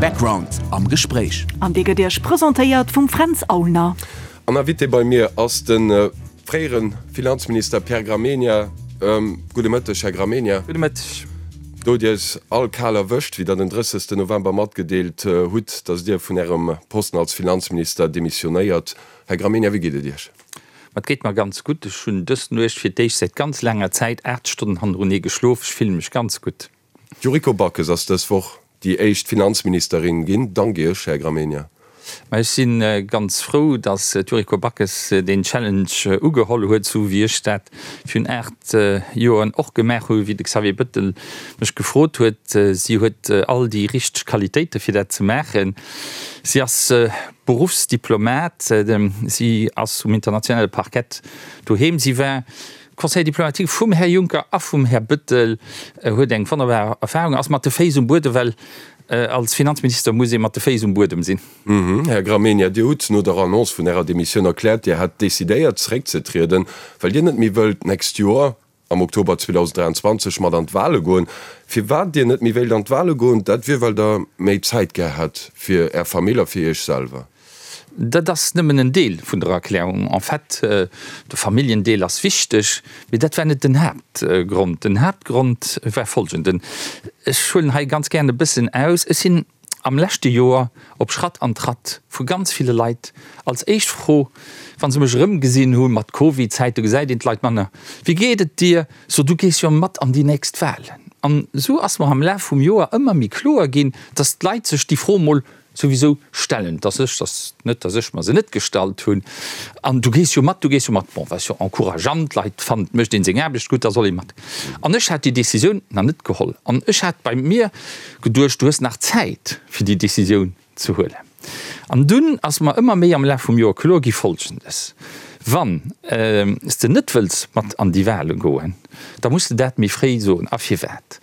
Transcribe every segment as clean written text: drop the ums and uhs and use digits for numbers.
Background am Gespréich. An dee gëtt Iech presentéiert vum Fränz Aulner. An Invité bei mir ass de fréiere Finanzminister Pierre Gramegna. Gudde Mëtteg, Här Gramegna. Gudde Mëtteg. Do hutt Dir eis all kal erwëscht, wéi Der den 30 November matgedeelt hutt, datt Dir vun Ärem Posten als Finanzminister demissionéiert. Här Gramegna, wéi geet et Iech? Ma et geet mer ganz gutt. Ech hunn dës Nuecht fir d'éischt säit ganz laanger Zäit 8 Stonnen hannerunee geschlof. Ech fille mech ganz gutt. D'Yuriko Backes ass dës Woch déi éischt Finanzministerin ginn. Dank Iech, Här Gramegna. Ma ech si ganz frou, datt d'Yuriko Backes deen Challenge ugeholl huet, sou wéi ech dat virun 8 Joren och gemaach hu wéi de Xavier Bettel mech gefrot huet. Si huet all déi richteg Qualitéite fir dat ze maachen. Si ass Beruffsdiplomat, si ass um internationale Parkett doheem, si war Conseiller diplomatique vum Här Juncker a vum Här Bettel, huet eng wonnerbar Erfahrung, ass mat de Féiss um Buedem, well als Finanzminister muss ee mat de Féiss um Buedem sinn. Här Gramegna, Dir hutt no der Annonce vun Ärer Demissioun erkläert, Dir hätt decidéiert zeréckzetrieden, well Dir net méi wëllt d'nächst Joer, am Oktober 2023 mat an d'Wale goen. Firwat Dir net méi wéilt an d'Wale goen, dat wier well Der méi Zäit gär hätt fir Är Famill a fir Iech selwer. Dat ass nëmmen en Deel vun der Erklärung. En fait, de Familljendeel ass wichteg, mee dat war net den Haaptgrond. Den Haaptgrond war folgenden, Ech huelen hei ganz gären e bëssen aus, Ech sinn am leschte Joer op Schratt an Tratt vu ganz ville Leit als éischt Fro, wa se mech erëmgesinn hu mat Covid-Zäit, do gesäit een d'Leit manner, Wéi geet et dir? So, du gees jo mat an déi nächst Wahlen. An esou ass mer am Laf vum Joer ëmmer méi kloer ginn, dass d'Leit sech déi Fro mol souwisou stellen, dass ech, dass net, dass ech mer se net gestallt hunn, an du gees jo mat, du gees jo mat, bon, wat jo encourageant, d'Leit fannen, et mécht een seng Aarbecht gutt, da soll ee mat. An ech hat déi Décisioun nach net geholl an ech hat bei mir geduecht, du hues nach Zäit fir déi Décisioun ze huelen. An dunn ass mer ëmmer méi am Laf vum Joer kloer gi Folgendes, Wann s de net wëlls mat an déi Wahle goen, da muss de dat méi fréi soen. A firwat?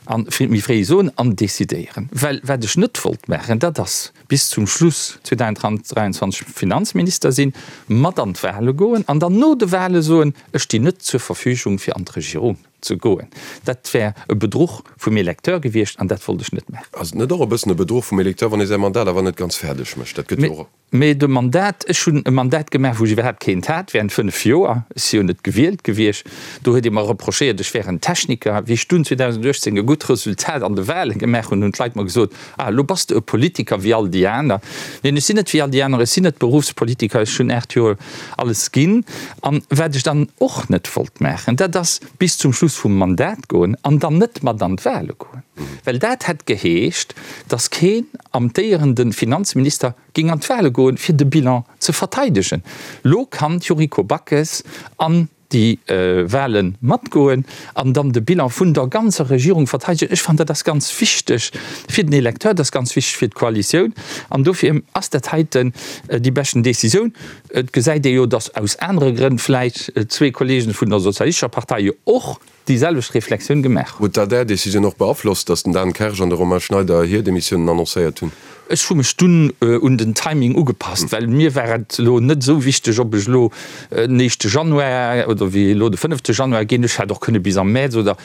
A méi fréi soen an decidéieren. Well wat ech net wollt maachen, dat ass bis zum Schluss 2023 Finanzminister sinn, mat an d'Wahle goen an dann no de Wahle soen, ech stinn net zur Verfügung fir an d'Regierung ze goen. Dat wär e Bedruch vum Electeur gewiescht an dat wollt ech net maachen. Ass et net och e bëssen e Bedruch vum Electeur, wann ee säi Mandat awer net ganz fäerdeg mécht? Dat gëtt jo och. Mee de Mandat, ech hunn e Mandat gemaach, wou ech iwwerhaapt keent hat, während 5 Joer. Ech si jo net gewielt gewiescht. Do huet ee mer reprochéiert, ech wär en Techniker. Wéi ech dunn 2018 e gutt Resultat an de Wahlen gemaach hunn, hunn d'Leit mer gesot, Ah, elo bass de e Politiker wéi all déi aner. Neen, ech sinn net wéi all déi aner, ech sinn net Beruffspolitiker, ech hunn 8 Joer alles ginn. An wat ech dann och net wollt maachen, dat ass bis zum Schluss vum Mandat goen an dann net mat an d'Wahle goen. Well dat hätt geheescht, datt keen amtéierende Finanzminister géing an d'Wahle goen, fir de Bilan ze verteidegen. Lo kann d'Yuriko Backes an déi Wahle matgoen an dann de Bilan vun der ganzer Regierung verteidegen. Ech fannen, dat ass ganz wichteg fir den Electeur, dat ass ganz wichteg fir d'Koalitioun an dofir ass dat heiten déi beschten Décisioun. Et gesäit ee jo, datt aus anere Grënn vläicht zwee Kollegen vun der Sozialistescher Partei jo och déi selwecht Reflexioun gemaach hunn. Huet dat Är Decisioun och beaflosst, datt den Dan Kersch an de Romain Schneider hir Demissiounen annoncéiert hunn? Ech hu mech dunn un den Timing ugepasst, well mir war et elo net esou wichteg, ob ech elo den éischte Januar oder wéi elo de fënnefte Januar ginn. Ech hätt och kënne bis am Mäerz oder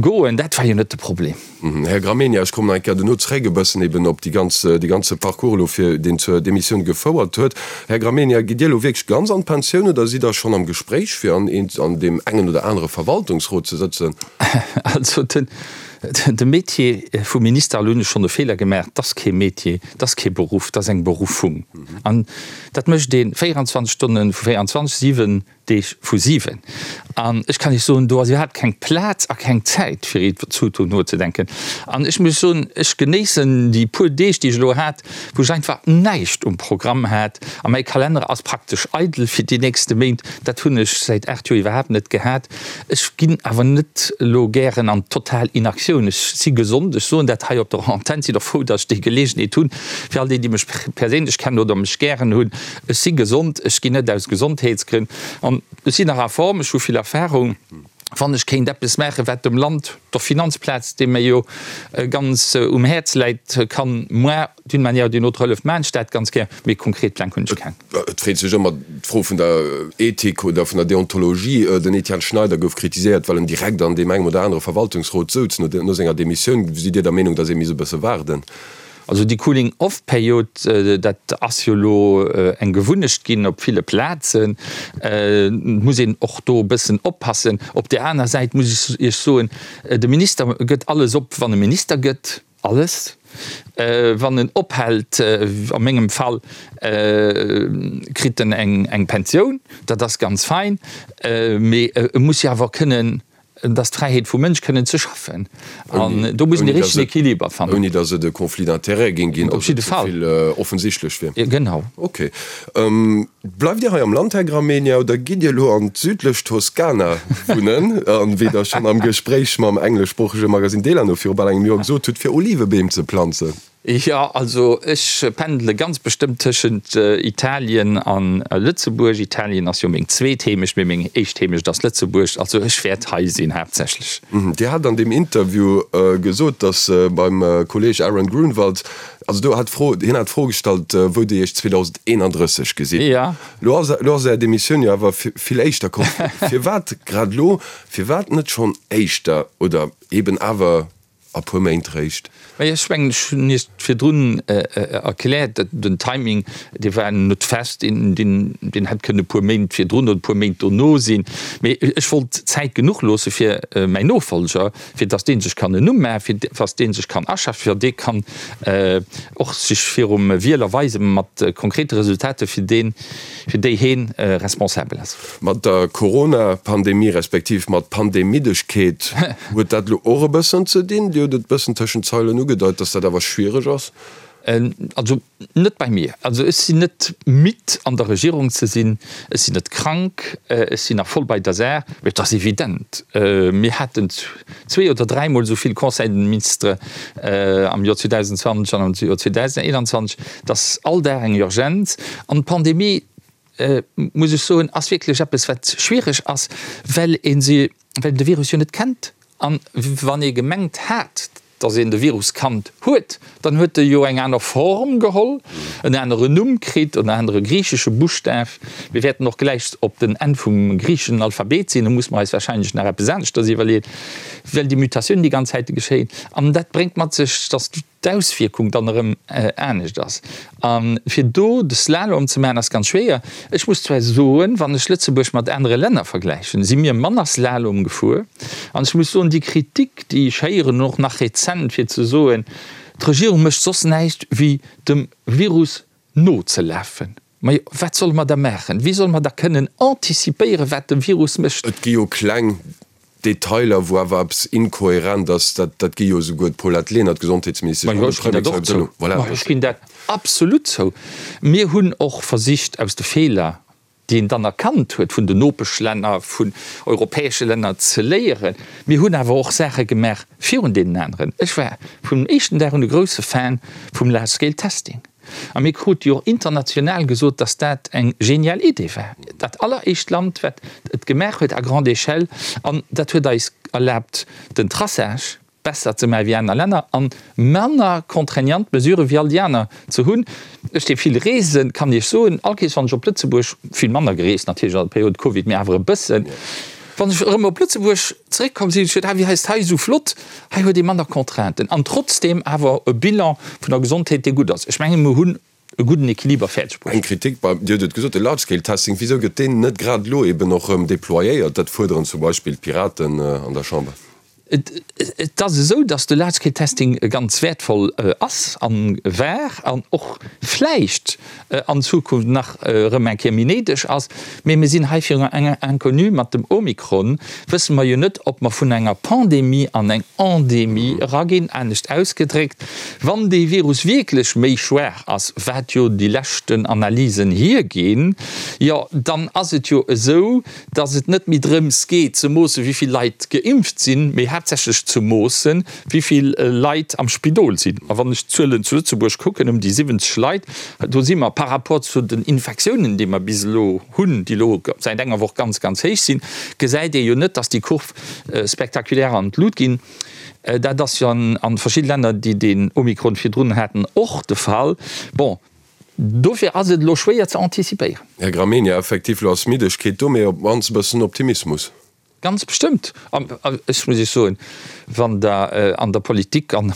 goen, dat war jo net de Problem. Här Gramegna, ech kommen nach eng Kéier duerno zréck e bëssen eben op déi ganz, dee ganze Parcours elo fir deen zur Demissioun gefouert huet. Här Gramegna, gitt Dir elo wierklech ganz an d'Pensioun oder sidd Der schonn am Gespréich fir an een, an deem engen oder anere Verwaltungsrot ze sëtzen? Also den, de Métier vum Minister, elo hunn ech schonn e Feeler gemaach, 't ass kee Métier, 't ass kee Beruff, 't ass eng Beruffung. An dat mécht ee 24 Stonne vu 24, 7 Deeg vu 7. An ech kann Iech soen, do ass iwwerhaapt keng Plaz a keng Zäit, fir iwwer d'Zukunft nozedenken. An ech muss soen, ech genéissen déi puer Deeg, déi ech elo hat, wou ech einfach näischt um Programm hat. A mäi Kalenner ass praktesch eidel fir déi nächste Méint. Dat hunn ech säit 8 Joer iwwerhaapt net gehat. Ech ginn awer net elo gären an total Inaktioun. Ech si gesond, ech soen dat hei op der Antenn, sinn och frou, datt ech déi Geleegenheet hunn, fir all déi, déi mech perséinlech kennen oder mech gären hunn, Ech si gesond, ech ginn net aus Gesondheetsgrënn an ech sinn nach a Form, ech hu vill Erfahrung. Wann ech kéint eppes maachen, wat dem Land, der Finanzplaz, déi mir jo ganz um Häerz läit, kann moi d'une manière ou d'une autre hëllef, maachen ech dat ganz gär. Mee konkret Pläng hunn ech keng. Et freet sech ëmmer d'Fro vun der Ethik oder vun der Deontologie. Den Etienne Schneider gouf kritiséiert, well en direkt an deem engem oder anere Verwaltungsrot souz no senger Demissioun. Sidd Dir der Meenung, datt ee misst e bësse waarden? Also déi Cooling-off-Period, dat ass jo elo eng Gewunnecht ginn op ville Plazen. Et muss een och do e bëssen oppassen. Op där aner Säit muss ech Iech soen, de Minister gëtt alles op, wann e Minister gëtt. Alles. Wann en ophält, a mengem Fall, kritt en eng Pensioun, dat ass ganz fein, mee e muss jo awer kënnen Et ass d'Fräiheet vum Mënsch kënnen ze schaffen an do muss een de richtegen Equiliber fannen. Ouni datt et e Conflit d'intérêts géing ginn, datt et ze vill offensichtlech wier. Genau. Ok. Bleift Dir hei am Land, Här Gramegna, oder gitt Dir elo an d'südlech Toskana wunnen, an, wéi Der schonn am Gespréich mam engleschsproochege Magasinn Delano viru bal engem Joer gesot hutt, fir Olivebeem ze planzen? Jo, also ech pendele ganz bestëmmt tëschent Italien an Lëtzebuerg. Italien ass jo meng zweet Heemecht, mee meng éischt Heemecht ass Lëtzebuerg. Also ech wäert hei sinn haaptsächlech. Dir hat an deem Interview gesot, datt beim Kolleeg Aaron Grunwald, also do hat d'Fro, hien hat d'Fro gestallt, wou Dir Iech 2031 gesitt. Jo. Lo ass, lo ass Är Demissioun jo awer vill éischter komm. Firwat grad elo? Firwat net schonn éischter oder eben awer A puer Méint réischt. Mä ech mengen, ech hunn Iech virdrun erkläert, den Timing, dee war net fest, deen hätt kënnen e puer Méint virdrun oder e puer Méint dono sinn. Mee ech wollt Zäit genuch loosse fir mäin Nofollger, fir datt dee sech kann en Numm maachen, fir datt dee sech kann aschaffen, fir datt dee kann och sech virum Wieler weise mat konkrete Resultater, fir deen, fir déi heen responsabel ass. Mat der Corona-Pandemie, respektiv mat Pandemiddegkeet huet dat elo och e bëssen ze dinn? Dir hutt et e bëssen tëschent d'Zeilen ugedeit, dass dat awer schwiereg ass. Also net bei mir. Also ech sinn net midd an der Regierung ze sinn, ech sinn net krank, ech sinn nach voll bei der Saach. Mee et ass evident, mir haten zwee oder dräimol esou vill Conseil des ministres am Joer 2020 an am Joer 2021, et ass all Dag eng Urgenz. An d'Pandemie, muss ech soen, ass wierklech eppes, wat schwiereg ass, well ee se, well een de Virus jo net kennt. An wann ee gemengt hat, datt een de Virus kannt huet, dann huet e jo eng aner Form geholl, en anere Numm kritt, en anere griichesche Buschtaf. Mir wäerten och gläich op den Enn vum griicheschen Alphabet sinn, do muss mer eis wahrscheinlech nach eppes aneschters iwwerleeën, well déi Mutatiounen déi ganz Zäite geschéien. An dat bréngt mat sech, datt d'Auswierkung dann erëm anescht ass. A fir do de Slalom ze maachen, ass ganz schwéier. Ech muss zwar soen, wann ech Lëtzebuerg mat anere Länner vergläichen, si mir manner Slalom gefuer. An ech muss soen, déi Kritik, déi ech héieren, och nach rezent, fir ze soen, d'Regierung mécht soss näischt wéi dem Virus nozelafen. Majo, wat solle mer da maachen? Wéi solle mer da kënnen anticipéieren, wat de Virus mécht? Et gi jo kleng Detailer, wou awer eppes inkohärent ass. Dat, dat gi jo esouguer d'Paulette Lenert, d'Gesondheetsministesch, an de Premier Xavier Bettel. Voilà. Majo, ech ginn dat absolut zou. Mir hunn och versicht, aus de Feeler, déi een dann erkannt huet vun den Nopeschlänner, vun europäesche Länner, ze léieren. Mir hunn awer och Saache gemaach virun deenen aneren. Ech war vum éischten Dag un e grouse Fan vum Large-Scale Testing. A mir krute jo och international gesot, dass dat eng genial Idee war. Dat alleréischt Land, wat et gemaach huet à grande échelle. An dat huet eis erlaabt, den Traçage besser ze maache wéi aner Länner a manner contraignant Mesurë wéi all déi aner ze hunn. Ech, dee vill reesen, kann Iech soen, all Kees wann ech op Lëtzebuerg, vill manner gereest natierlech an der Periode Covid, mee awer e bëssen, Wann ech erëm op Lëtzebuerg zeréckkomm sinn, hunn ech geduet, ah wéi hei ass hei esou flott, hei huet ee manner Contrainten an trotzdeem awer e Bilan vun der Gesondheet, dee gutt ass. Ech mengen, mir hunn e gudden Equiliber fäerdeg bruecht. Eng Kritik bei, Dir hutt et gesot, de Large-Scale-Testing, wisou gëtt deen net grad elo eben och erëm déployéiert? Dat fuerderen zum Beispill d'Piraten an der Chamber. Et ass esou, datt de Large Scale Testing ganz wäertvoll ass a war an och vläicht an Zukunft nach erëm eng Kéier méi néideg ass. Mee mir sinn hei virun enger Inconnue. Mat dem Omikron wësse mer jo net, ob mer vun enger Pandemie an eng Endemie eraginn. Anescht ausgedréckt, wann dee Virus wierklech méi schwaach ass, wat jo déi leschten Analysen hierginn, jo dann ass et jo esou, dass et net méi drëms geet ze moossen, wéi vill Leit geimpft sinn, mee haaptsächlech ze moossen, wéi vill Leit am Spidol sinn. A wann ech d'Zuelen zu Lëtzebuerg kucken, ëm déi 70 Leit, do si mer par rapport zu den Infektiounen, déi mer bis elo hunn, déi elo säit enger Woch ganz, ganz héich sinn, gesäit ee jo net, dass déi Kurv spektakulär an d'Lut ginn. Dat ass jo an verschidde Länner, déi den Omikron virdrun haten, och de Fall. Bon, Dofir ass et elo schwéier ze antizipéieren. Här Gramegna, effektiv, elo ass Middegkeet do, mee op d'mannst e bëssen Optimismus. Ganz bestëmmt. An ech muss Iech soen, wann Der an der Politik an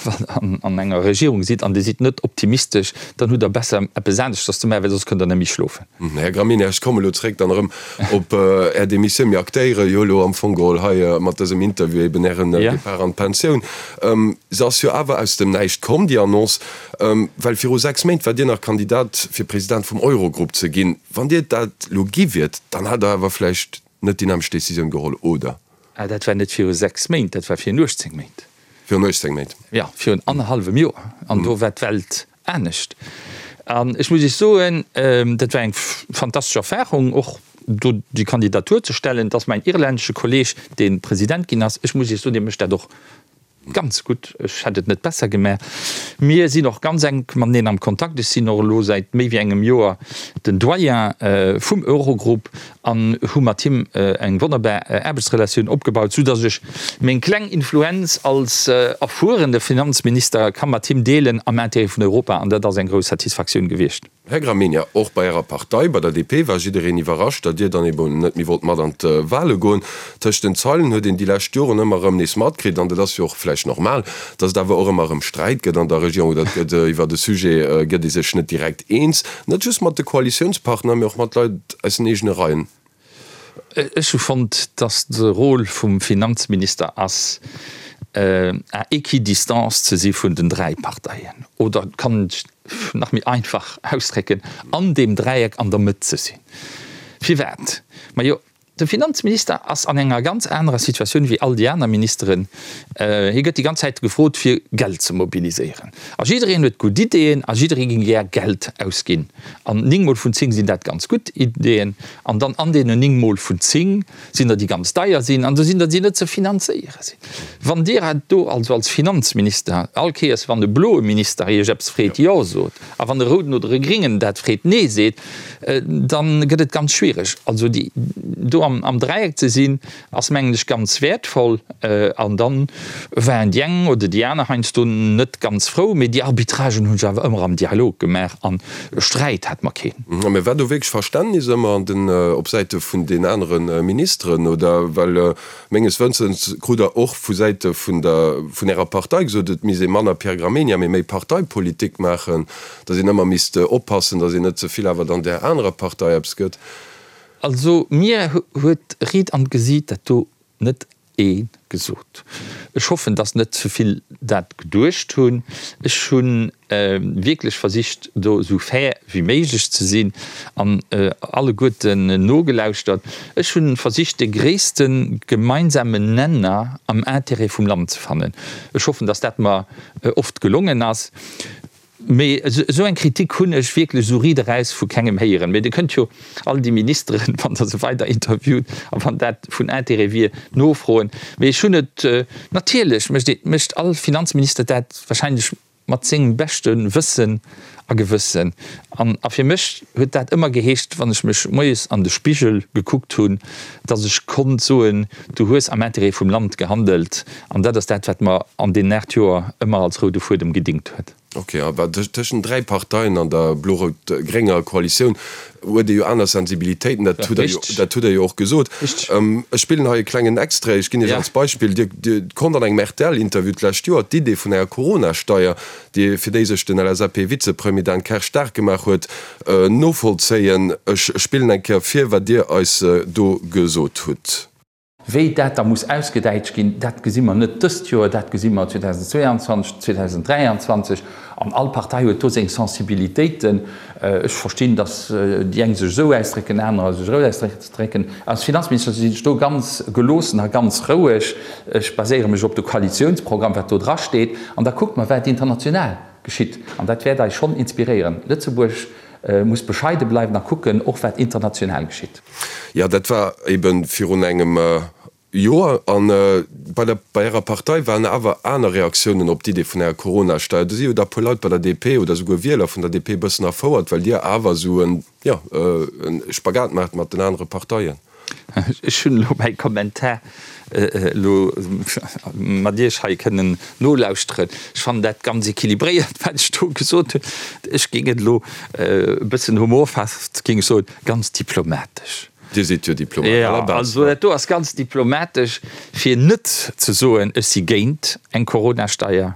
an enger Regierung sidd an Dir sidd net optimistesch, dann hutt Der besser eppes aneschters ze maachen, well soss kënnt Der net méi schlofen. Här Gramegna, ech komme elo zréck dann erëm op Är Demissioun. Mir aktéiere jo elo am Fong geholl hei mat dësem Interview eben Ären Depart an d'Pensioun. Se ass jo awer aus dem Näischt komm, déi Annonce, well viru 6 Méint waart Dir nach Kandidat fir President vum Eurogrupp ze ginn. Wann Dir dat elo gi wiert, dann hätt Der awer vläicht net déi nämmlecht Decisioun geholl, oder? Ah, dat war net viru 6 Méint, dat war virun 18 Méint. Virun 18 Méint? Jo, virun annerhallwem Joer. An do war d'Welt anescht. An ech muss Iech soen, dat war eng fantastesch Erfahrung, och do déi Kandidatur ze stellen. Et ass mäin irlännesche Kolleeg, dee President ginn ass. Ech muss Iech soen, dee mécht dat och ganz gutt. Ech hätt et net besser gemaach. Mir sinn och ganz enk mateneen am Kontakt. Ech sinn och elo säit méi wéi engem Joer den Doyen vum Eurogroup an hu mat him eng wonnerbar Aarbechtsrelatioun opgebaut, soudass ech meng kleng Influenz als erfuerene Finanzminister ka mat him deelen am Intérêt vun Europa. An dat ass eng grouss Satisfaktioun gewiescht. Här Gramegna, och bei Ärer Partei, bei der DP, war jiddereen iwwerrascht, datt Dir dann eben net méi wollt mat an d'Wahle goen. Tëscht den Zeilen huet een déi lescht Joren ëmmer erëm nees matkritt, an dat ass jo och vläicht normal, datt et awer och ëmmer erëm Sträit gëtt an der Regierung oder et gëtt iwwert e Sujet gëtt ee sech net direkt eens, net just mat de Koalitiounspartner, mee och mat Leit aus den eegene Reien. Ech hu fonnt, datt de Rôle vum Finanzminister ass, à équidistance ze si vun den 3 Parteien, oder et kann een et nach méi einfach ausdrécken, an deem Dräieck an der Mëtt ze sinn. Firwat? Majo, de Finanzminister ass an enger ganz anerer Situatioun wéi all déi aner Ministeren. Hie gëtt déi ganz Zäit gefrot, fir Geld ze mobiliséieren. A jiddereen huet gutt Ideeën a jidderee géing gär Geld ausginn. An 9 mol vun 10 sinn dat ganz gutt Ideeën. An dann an deenen 9 mol vun 10 sinn der, déi ganz deier sinn, an do sinn der, déi net ze finanzéiere sinn. Wann Dir do also als Finanzminister all Kéiers, wann e bloe Minister Iech eppes freet, Jo sot, a wann e rouden oder e gringen dat freet, Nee seet, da gëtt et ganz schwiereg. Also déi do am Dräieck ze sinn, ass mengen ech ganz wäertvoll. An dann waren déi eng oder déi aner heiansdo net ganz frou, mee déi Arbitragen hunn ech awer ëmmer am Dialog gemaach an Sträit hat mer keen. Mä war do wierklech Verständnis ëmmer an den, op Säite vun den anere Ministeren oder? Well menges Wëssens krut Der och vu Säite vun der, vun Ärer Partei gesot, et misst ee manner Pierre Gramegna, mee méi Parteipolitik maachen, datt een ëmmer misst oppassen, datt een net ze vill awer dann där anerer Partei eppes gëtt. Also mir huet riit an d'Gesiit dat do net ee gesot. Ech hoffen, dass net ze vill dat geduecht hunn. Ech hu wierklech versicht, do esou fair wéi méiglech ze sinn an alleguerten nogelauschtert. Ech hu versicht, de gréisste gemeinsamen Nenner am Intérêt vum Land ze fannen. Ech hoffen, dass dat mer oft gelongen ass. Mee esou eng Kritik hunn ech wierklech esou riit eraus vu kengem héieren. Mee Dir kënnt jo all déi Ministeren, wann Der se weider interviewt a wann dat vun Intérêt wier, nofroen. Mee ech hunn et, natierlech mécht ee, mécht all Finanzminister dat wahrscheinlech mat sengem beschte Wëssen a Gewëssen. An a fir mech huet dat ëmmer geheescht, wann ech mech moies an de Spigel gekuckt hunn, datt ech konnt soen, Du hues am Intérêt vum Land gehandelt. An dat ass dat, wat mer an deenen 8 Joer ëmmer als roude Fuedem gedingt huet. Ok, awer tëschent 3 Parteien an der blo-rout-grénger Koalitioun huet ee jo aner Sensibilitéiten, dat hutt Der jo, dat hutt Der jo och gesot. Ech spillen hei e klengen Extrait, ech ginn Iech als Beispill, Dir, Dir konnt an engem RTL-Interview d'lescht Joer d'Idee vun enger Corona-Steier, déi, fir déi sech den LSAP-Vizepremier Dan Kersch staark gemaach huet, novollzéien. Ech spillen eng Kéier vir, wat Dir eis do gesot hutt. Wéi dat da muss ausgedäitscht ginn, dat gesi mer net dëst Joer, dat gesi mer 2022, 2023. An all Partei huet do seng Sensibilitéiten. Ech verstinn, datt déi eng sech esou ausdrécken, anerer sech esou ausdrécken. Als Finanzminister sinn ech do ganz geloossen a ganz roueg. Ech baséiere mech op de Koalitiounsprogramm, wat do drasteet, an da kucke mer, wat international geschitt. An dat wäert eis schonn inspiréieren. Lëtzebuerg muss bescheide bleiwen a kucken och, wat international geschitt. Jo, dat war ebe virun engem Joer. A bei der, bei Ärer Partei waren awer aner Reaktiounen op d'Idee vun enger Coronasteier. Do si jo da puer Leit bei der DP oder souguer Wieler vun der DP e bëssen erfouert, well Dir awer esou en, jo, e Spagat maacht mat den anere Parteien. Ech hunn elo mäi Kommentar elo mat Iech hei kënnen nolauschteren. Ech fannen dat ganz équilibréiert, wat ech do gesot hunn. Ech géing et elo e bëssen humorfest, géing ech soen, ganz diplomatesch. Dir sidd jo Diplomat à la base. Also dat do ass ganz diplomatesch, fir net ze soen, ech si géint eng Coronasteier,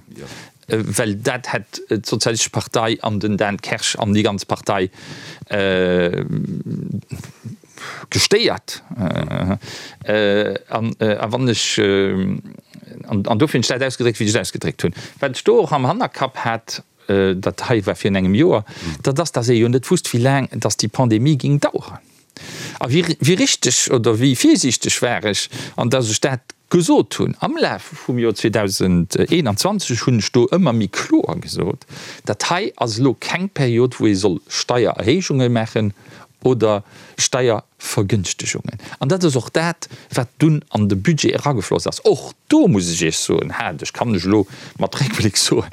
well dat hätt d'Sozialistesch Partei an den Dan Kersch an déi ganz Partei gestéiert. An wann ech, an dofir hunn ech dat ausgedréckt, wéi ech et ausgedréckt hunn. Wat ech do och am Hannerkapp hat, dat hei war virun engem Joer, dat ass, datt ee jo net wusst, wéi laang datt déi Pandemie géing daueren. A wéi, wéi richteg oder wéi virsiichteg war ech, an datt ech dat gesot hunn. Am Laf vum Joer 2021 hunn ech do ëmmer méi kloer gesot, dat hei ass elo keng Period, wou ee soll Steiererhéijunge maachen oder Steiervergënschtegungen. An dat ass och dat, wat dunn an de Budget eragefloss ass. Och do muss ech Iech soen, hat ech, kann ech elo mat Réckbléck soen,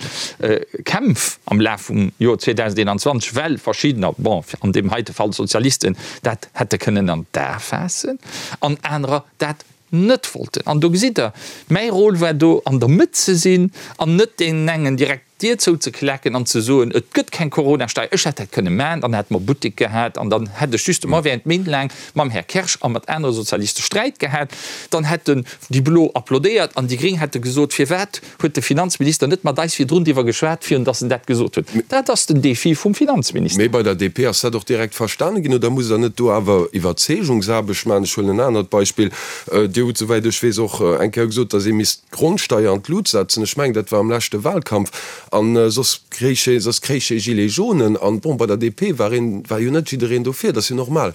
Kämpf am Laf vum Joer 2021, well verschiddener, bon, an deem heite Fall d'Sozialisten, dat hätte kënnen an d'A faassen an anerer dat net wollten. An do gesitt Der, mäi Rôle war do an der Mëtt ze sinn an net deenen engen direkt d'Dier zouzeklecken an ze soen, et gëtt keng Coronasteier. Ech hätt dat kënne maachen, dann hätte mer Buttek gehat an dann hätt ech justement während Méint laang mam Här Kersch a mat anere Sozialiste Sträit gehat. Dann hätten déi Blo applaudéiert an déi Gréng hätte gesot, firwat huet de Finanzminister net mat eis virdrun driwwer geschwat, virun datt en dat gesot huet. Dat ass den Défi vum Finanzminister. Mee bei der DP ass dat och direkt verstane ginn, oder musst Der net do awer Iwwerzeegungsaarbecht maachen? Ech huelen en anert Beispill, Dir hutt, souwäit ech weess, och eng Kéier gesot, datt ee misst d'Grondsteier an d'Lut setzen. Ech mengen, dat war am leschte Wahlkampf. A soss kréich ee, soss kréich ee Gilets jaunen. An bon, bei der DP war een, war jo net jiddereen dofir. Dat ass jo normal.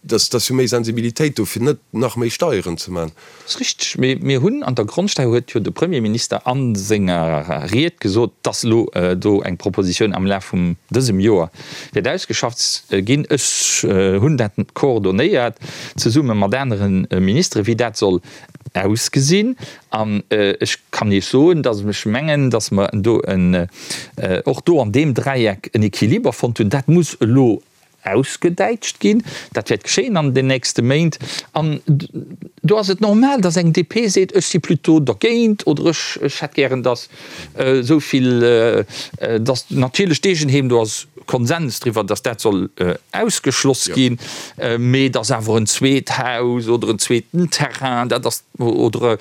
Dat ass jo méi Sensibilitéit do, fir net nach méi Steieren ze man. Dat ass richteg. Mee mir hunn an der Grondsteier, huet jo de Premierminister a senger Ried gesot, dass elo do eng Propositioun am Laf vum dësem Joer wäert ausgeschafft ginn. Ech hunn dat coordonéiert zesumme mat anere Ministeren, wéi dat soll ausgesinn. An ech kann Iech soen, dass ech mengen, dass mer do en, och do an deem Dräieck en Equiliber fonnt hunn. Dat muss elo ausgedäitscht ginn. Dat wäert geschéien an den nächste Méint. An do ass et normal, datt eng DP seet, ech si plutôt dergéint oder ech ech hätt gären, datt esou vill, datt natierlech d'Eegenheem, do ass Konsens driwwer, datt dat soll ausgeschloss ginn, mee datt awer en zweet Haus oder en zweeten Terrain, dat ass, oder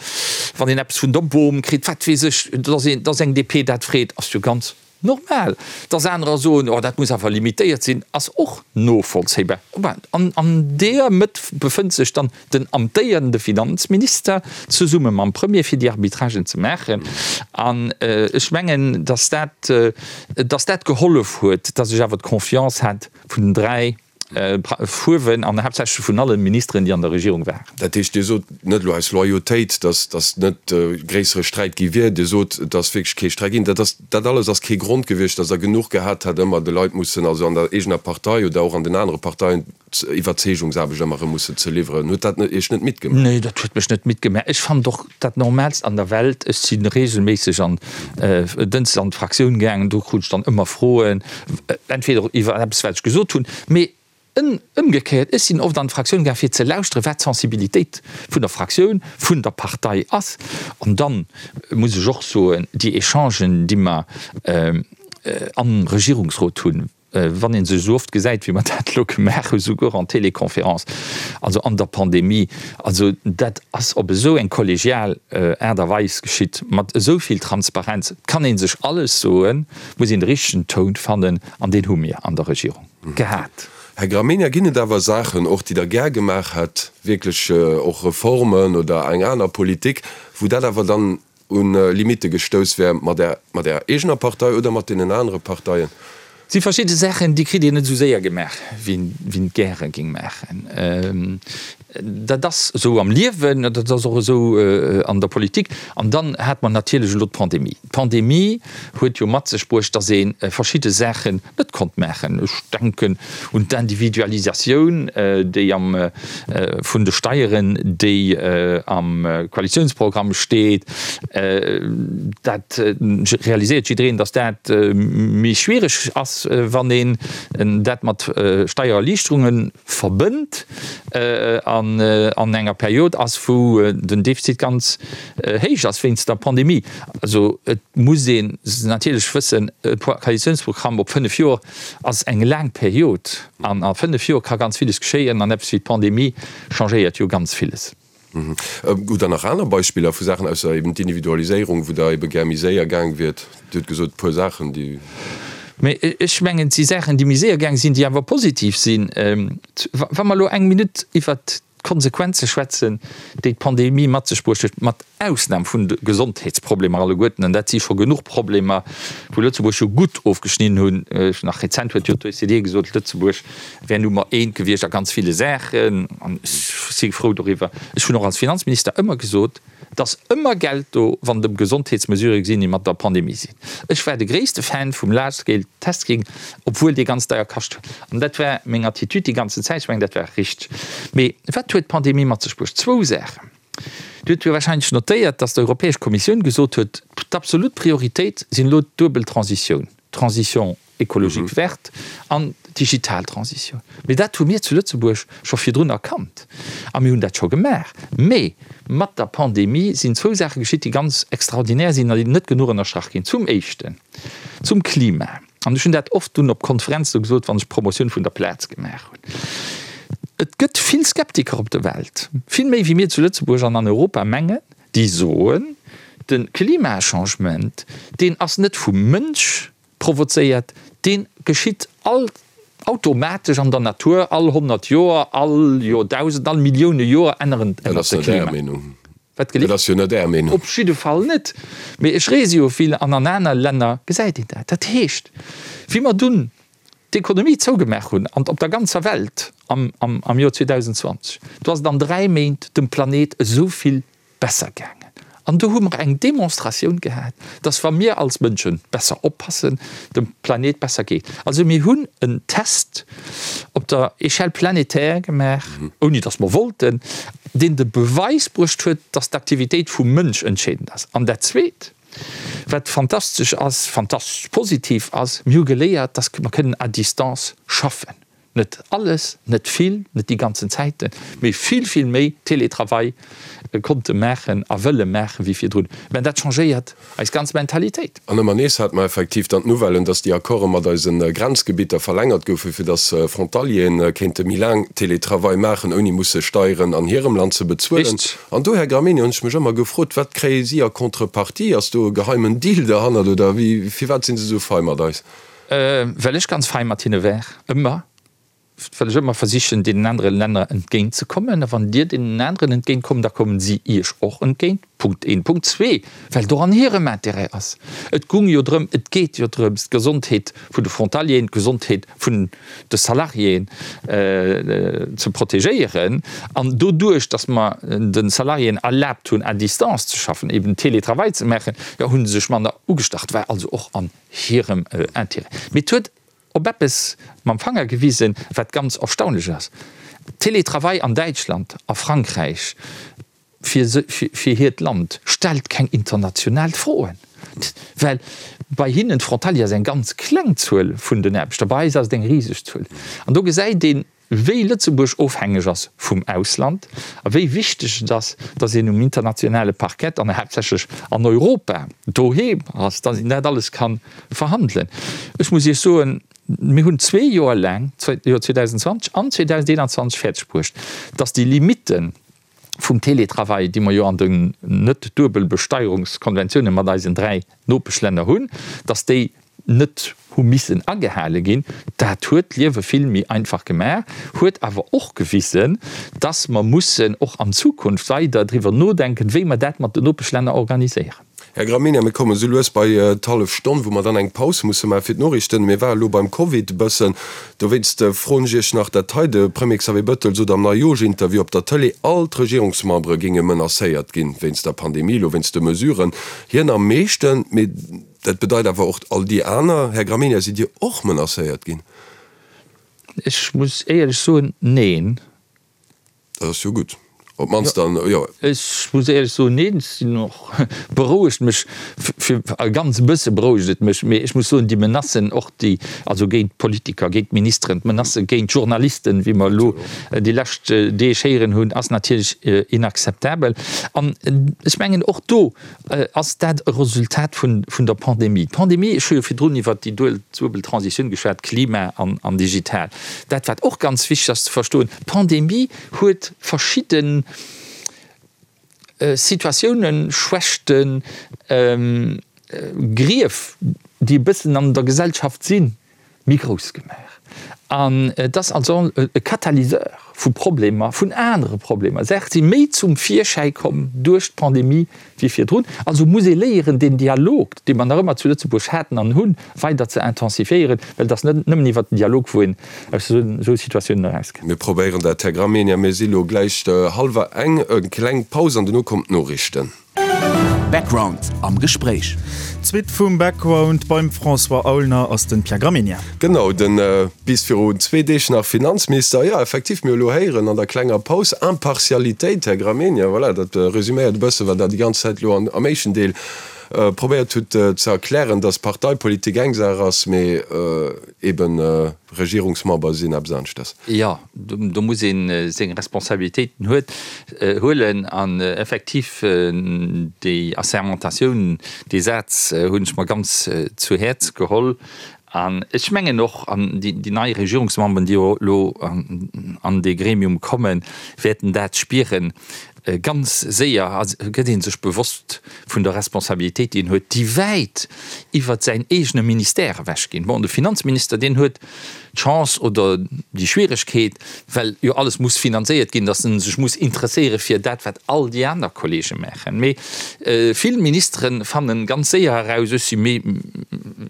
wann een eppes vun der Bom kritt, wat weess ech, datt een, datt eng DP dat freet, ass jo ganz Normal. Dass anerer soen, oh dat muss awer limitéiert sinn, ass och novollzéibar. An an deeër Mëtt befënnt sech dann den amtéierende Finanzminister zesumme mam Premier, fir déi Arbitragen ze maachen. An ech mengen, dass dat, dass dat gehollef huet, dass ech awer d'Confiance hat vun den 3, Fuerwen an haaptsächlech vun alle Ministeren, déi an der Regierung waren. Dat heescht, Dir sot net elo aus Loyautéit, datt datt net gréissere Sträit gi wier. Dir sot, et ass wierklech kee Sträit ginn. Dat ass, dat alles ass kee Grond gewiescht, datt Der genuch gehat hätt, ëmmer de Leit mussen, also an der eegener Partei oder och an den anere Parteien, Iwwerzeegungsaarbecht ëmmer erëm mussen ze liwweren. Huet dat Iech net midd gemaach? Nee, dat huet mech net midd gemaach. Ech fannen och dat Normaalst an der Welt. Ech si reegelméisseg an Dënschdes an d'Fraktioun gaangen, do krut ech dann ëmmer Froen, entweder iwwer eppes, wat ech gesot hunn, mee ëmgekéiert, ech sinn oft an d'Fraktioun gaangen, fir ze lauschteren, wat d'Sensibilitéit vun der Fraktioun, vun der Partei ass. An dann muss ech och soen, déi Echangen, déi mer am Regierungsrot hunn, Wann ee sech esou oft gesäit, wéi mer dat elo gemaach hunn, souguer en Téléconférence, also an der Pandemie, also dat ass op esou eng kollegial Aart a Weis geschitt, mat esou vill Transparenz, et kann ee sech alles soen, muss een de richtegen Toun fannen, an deen hu mir an der Regierung gehat. Här Gramegna, ginn et awer Saachen och, déi Der gär gemaach hätt, wierklech och Reformen oder eng aner Politik, wou dat awer dann un Limitte gestouss wär mat Är, mat Ärer eegener Partei oder mat deenen anere Parteien? Et si verschidde Saachen, déi kritt een net esou séier gemaach, wéi een et gäre géing maachen. Dat ass esou am Liewen, dat ass och esou an der Politik. An dann hat mer natierlech elo d'Pandemie. D'Pandemie huet jo mat sech bruecht, datt ee verschidde Saachen net konnt maachen. Ech denken un d'Individualisatioun, déi am, vun de Steieren, déi am Koalitiounsprogramm steet. Dat realiséiert jiddereen, datt dat méi schwiereg ass, wann een dat mat Steiererliichterunge verbënnt. an enger Period ass, wou den Defizit ganz héich ass wéinst der Pandemie. Also et muss een natierlech wëssen, e Koalitiounsprogramm op 5 Joer ass eng laang Period an a 5 Joer ka ganz villes geschéien an eppes wéi d'Pandemie changéiert jo ganz villes. Hutt Der nach aner Beispiller vu Saachen, ausser eben d'Individualiséierung, wou Der ebe gär méi séier gaang wiert? Dir hutt gesot, e puer Saachen, déi. Mee ech mengen, et si Saachen, déi méi séier gaang sinn, déi awer positiv sinn. Wa mer elo eng Minutt iwwert d'Konsequenze schwätzen, déi d'Pandemie mat sech bruecht huet, mat Ausnam vun de Gesondheetsproblemer alleguerten, an dat si scho genuch Problemer, wou Lëtzebuerg jo gutt ofgeschnidden hunn, nach rezent huet jo d'OECD gesot, Lëtzebuerg wär Nummer eent gewiescht a ganz ville Saachen, an ech si frou doriwwer. Ech hunn och als Finanzminister ëmmer gesot, et ass ëmmer Geld do, wann et ëm Gesondheetsmesurë sinn, déi mat der Pandemie sinn. Ech war de gréisste Fan vum Large Scale Testing, obwuel dee ganz deier kascht huet. An dat war meng Attitude déi ganzen Zäit. Ech mengen, dat war richteg. Mee wat huet d'Pandemie mat sech bruecht? Zwou Saachen. Dir hutt jo wahrscheinlech notéiert, datt d'Europäesch Kommissioun gesot huet, d'absolut Prioritéit sinn elo d'duebel Transitioun, Transition écologique verte an d'digital Transition. Mee dat hu mir zu Lëtzebuerg scho virdrun erkannt a mir hunn dat scho gemaach. Mee mat der Pandemie sinn zwou Saache geschitt, déi ganz extraordinär sinn a déi net genuch ënnerstrach ginn. Zum Éischten zum Klima, an ech hunn dat oft dunn op Konferenze gesot, wann ech Promotioun vun der Plaz gemaach hunn, Et gëtt vill Skeptiker op der Welt, vill méi wéi mir zu Lëtzebuerg an an Europa mengen, déi soen, de Klimachangement, deen ass net vum Mënsch provozéiert, dee geschitt all automatesch an der Natur, all 100 Joer, all Joerdausend, all Millioune Joer änneren ännert de Klima. Wat gelift? Dat ass jo net Är Meenung. Op jidde Fall net. Mee ech reese jo vill an an aner Länner gesäit een dat. Dat heescht, wéi mer dunn d'Ekonomie zougemaach hunn an op der ganzer Welt am am Joer 2020, do ass et an 3 Méint dem Planet esou vill besser gaangen. An do hu mer eng Demonstratioun gehat, dass wa mir als Mënsche besser oppassen, dem Planet besser geet. Also mir hunn en Test op der Échelle planétaire gemaach, ouni dass mer wollten, deen de Beweis bruecht huet, dass d'Aktivitéit vum Mënsch entscheedend ass. An dat Zweet, wat fantastesch ass, fantastesch positiv ass, mir hu geléiert, dass mer kënnen à distance schaffen. Net alles, net vill, net déi ganzen Zäiten, mee vill, vill méi Télétravail konnte maachen a wëlle maachen wéi virdrun. Mä dat changéiert eis ganz Mentalitéit. An ëmmer nees hate mer effektiv dann d'Nouvellen, dass déi Accorde mat eise Grenzgebitter verlängert goufen, fir dass Frontalieren kéinte méi laang Télétravail maachen, ouni musse Steieren an hirem Land ze bezuelen. Richteg. An do, Här Gramegna, hunn ech mech ëmmer gefrot, Wat kréie si a Contrepartie? Ass do e geheimen Deal derhannert oder wéi? Firwat si se esou fei mat eis? Well ech ganz fei mat hinne war, ëmmer, well ech ëmmer versichen, deenen anere Länner entgéint ze kommen. A wann Dir deenen aneren entgéint kommt, da kommen si Iech och entgéint. Punkt een. Punkt zwee, well et och an hirem Intérêt ass. Et gung jo drëm, et geet jo drëms, d'Gesondheet vun de Frontalieren, d'Gesondheet vun de Salariéen ze protegéieren. An doduerch, datt mer de Salariéen erlaabt hunn, à distance ze schaffen, eben Télétravail ze maachen, jo, hu se sech manner ugestach. War also och an hirem Intérêt. Mee et huet op eppes mam Fanger gewisen, wat ganz erstaunlech ass, Télétravail an Däitschland, a Frankräich fir fir hiert Land stellt keng international Froen, well bei hinnen d'Frontalier ass eng ganz kleng Zuel vun den Aarbechter, bei eis ass et eng riseg Zuel. An do gesäit een, wéi Lëtzebuerg ofhängeg ass vum Ausland a wéi wichteg et ass, dass een um internationale Parkett an haaptsächlech an Europa doheem ass, dass een dat alles ka verhandelen. Ech muss Iech soen, mir hunn zwee Joer laang, d'Joer 2020 an 2021, fäerdeg bruecht, dass déi Limitten vum Teletravail, déi mer jo an den Net-Duebelbesteierungskonventiounen mat eisen 3 Nopeschlänner hunn, dass déi net hu missen agehale ginn. Dat huet d'Liewe vill méi einfach gemaach, huet awer och gewisen, dass mer mussen och an Zukunft weider driwwer nodenken, wéi mer dat mat den Nopeschlänner organiséieren. Här Gramegna, mir kommen esou lues bei d'hallef Stonn, wou mer dann eng Paus musse maache fir d'Noriichten. Mir ware elo beim Covid e bëssen. Dowéinst froen ech Iech nach dat hei, De Premier Xavier Bettel sot am Neijooschinterview op der Tëlee, all d'Regierungsmembere géinge menacéiert ginn wéinst der Pandemie, elo wéinst de Mesuren. Hien am meeschten, mee dat bedeit awer och all déi aner. Här Gramegna, sidd Dir och menacéiert ginn? Ech muss éierlech soen, neen. Dat ass jo gutt. Op d'mannst dann, jo. Ech muss éierlech soen, neen, ech sinn och, berouegt mech fir e ganz bësse berouegt et mech, mee ech muss soen, déi Menacen och déi, also géint d'Politiker, géint d'Ministeren, d'Menacë géint d'Journalisten, wéi mer elo déi lescht Deeg héieren hunn, ass natierlech inakzeptabel. An ech mengen och do ass dat e Resultat vun der Pandemie. D'Pandemie, ech hu jo virdrun iwwert déi duebel Transitioun geschwat, Klima an digital. Dat wat och ganz wichteg ass ze verstoen, d'Pandemie huet verschidde Situatiounen, Schwächten, Grief, déi e bëssen an der Gesellschaft sinn, méi grouss gemaach. An et ass also e Katalyseur vu Problemer, vun anere Problemer. Saache si méi zum Virschäi komm duerch d'Pandemie wéi virdrun. Also muss ee léieren, deen Dialog, dee mer nach ëmmer zu Lëtzebuerg haten an hunn, weider ze intensifiéieren, well et ass net nëmmen iwwert den Dialog, wou een aus esou Situatiounen erauskënnt. Mir probéieren dat, Här Gramegna. Mir si lo gläich hallwer eng. Eng kleng Paus an dono kommen d'Noriichten. Background am Gespréich. D'Suite vum Background beim François Aulner ass den Pierre Gramegna. Genau, den bis virun zwee Deeg nach Finanzminister, jo effektiv, mir hu lo héieren an der klenger Paus, Impartialitéit, Här Gramegna, voilà, dat resüméiert e bësse wat Der déi ganz Zäit elo am éischten Deel probéiert hutt ze erklären, datt Parteipolitik eng Saach ass, mee eben Regierungsmember sinn eppes aneschters. Jo, do muss ee seng Responsabilitéiten huet, huelen an effektiv déi Assermentatioun, dee Saz hunn ech mer ganz zu Häerz geholl. An ech mengen och, an déi nei Regierungsmemberen, déi jo elo an dee Gremium kommen, wäerten dat spieren, ganz séier gëtt ee sech bewosst vun der Responsabilitéit, déi een huet, déi wäit iwwert säin eegene Ministère ewechginn. Bon, de Finanzminister, deen huet d'Chance oder déi Schwieregkeet, well jo alles muss finanzéiert ginn, datt en sech muss interesséiere fir dat, wat all déi aner Kollege maachen. Mee vill Ministere fanne ganz séier eraus, ech si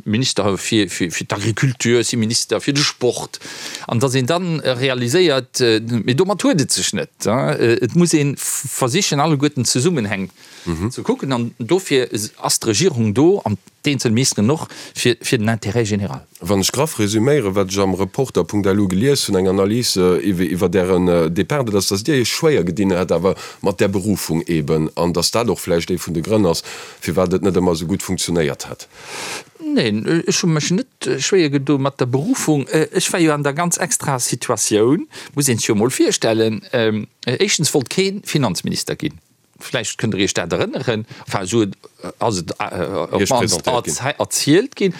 Minister fir d'Agriculture, ech si Minister fir de Sport, an datt een dann realiséiert, mee domat huet et sech net. Et muss ee versichen, alleguerten d'Zesummenhäng ze kucken, an dofir ass d'Regierung do an d'eenzel Ministeren och, fir den Intérêt général. Wann ech graff resüméieren, wat ech am Reporter.lu gelies hunn, eng Analys iwwert Ären Depart, dat ass, datt Dir Iech schwéier gedinn hätt awer mat där Berufung eeben, an datt dat och vläicht ee vun de Grënn ass, firwat et net ëmmer esou gutt funktionéiert hätt. Neen, ech hu mech net schwéier gedo mat der Berufung. Ech war jo an der ganz extraer Situatioun, muss een sech jo emol virstellen, éischtens wollt kee Finanzminister ginn, vläicht kënnt Der Iech dat erënneren, enfin esou ass et op d'mannst erzielt ginn,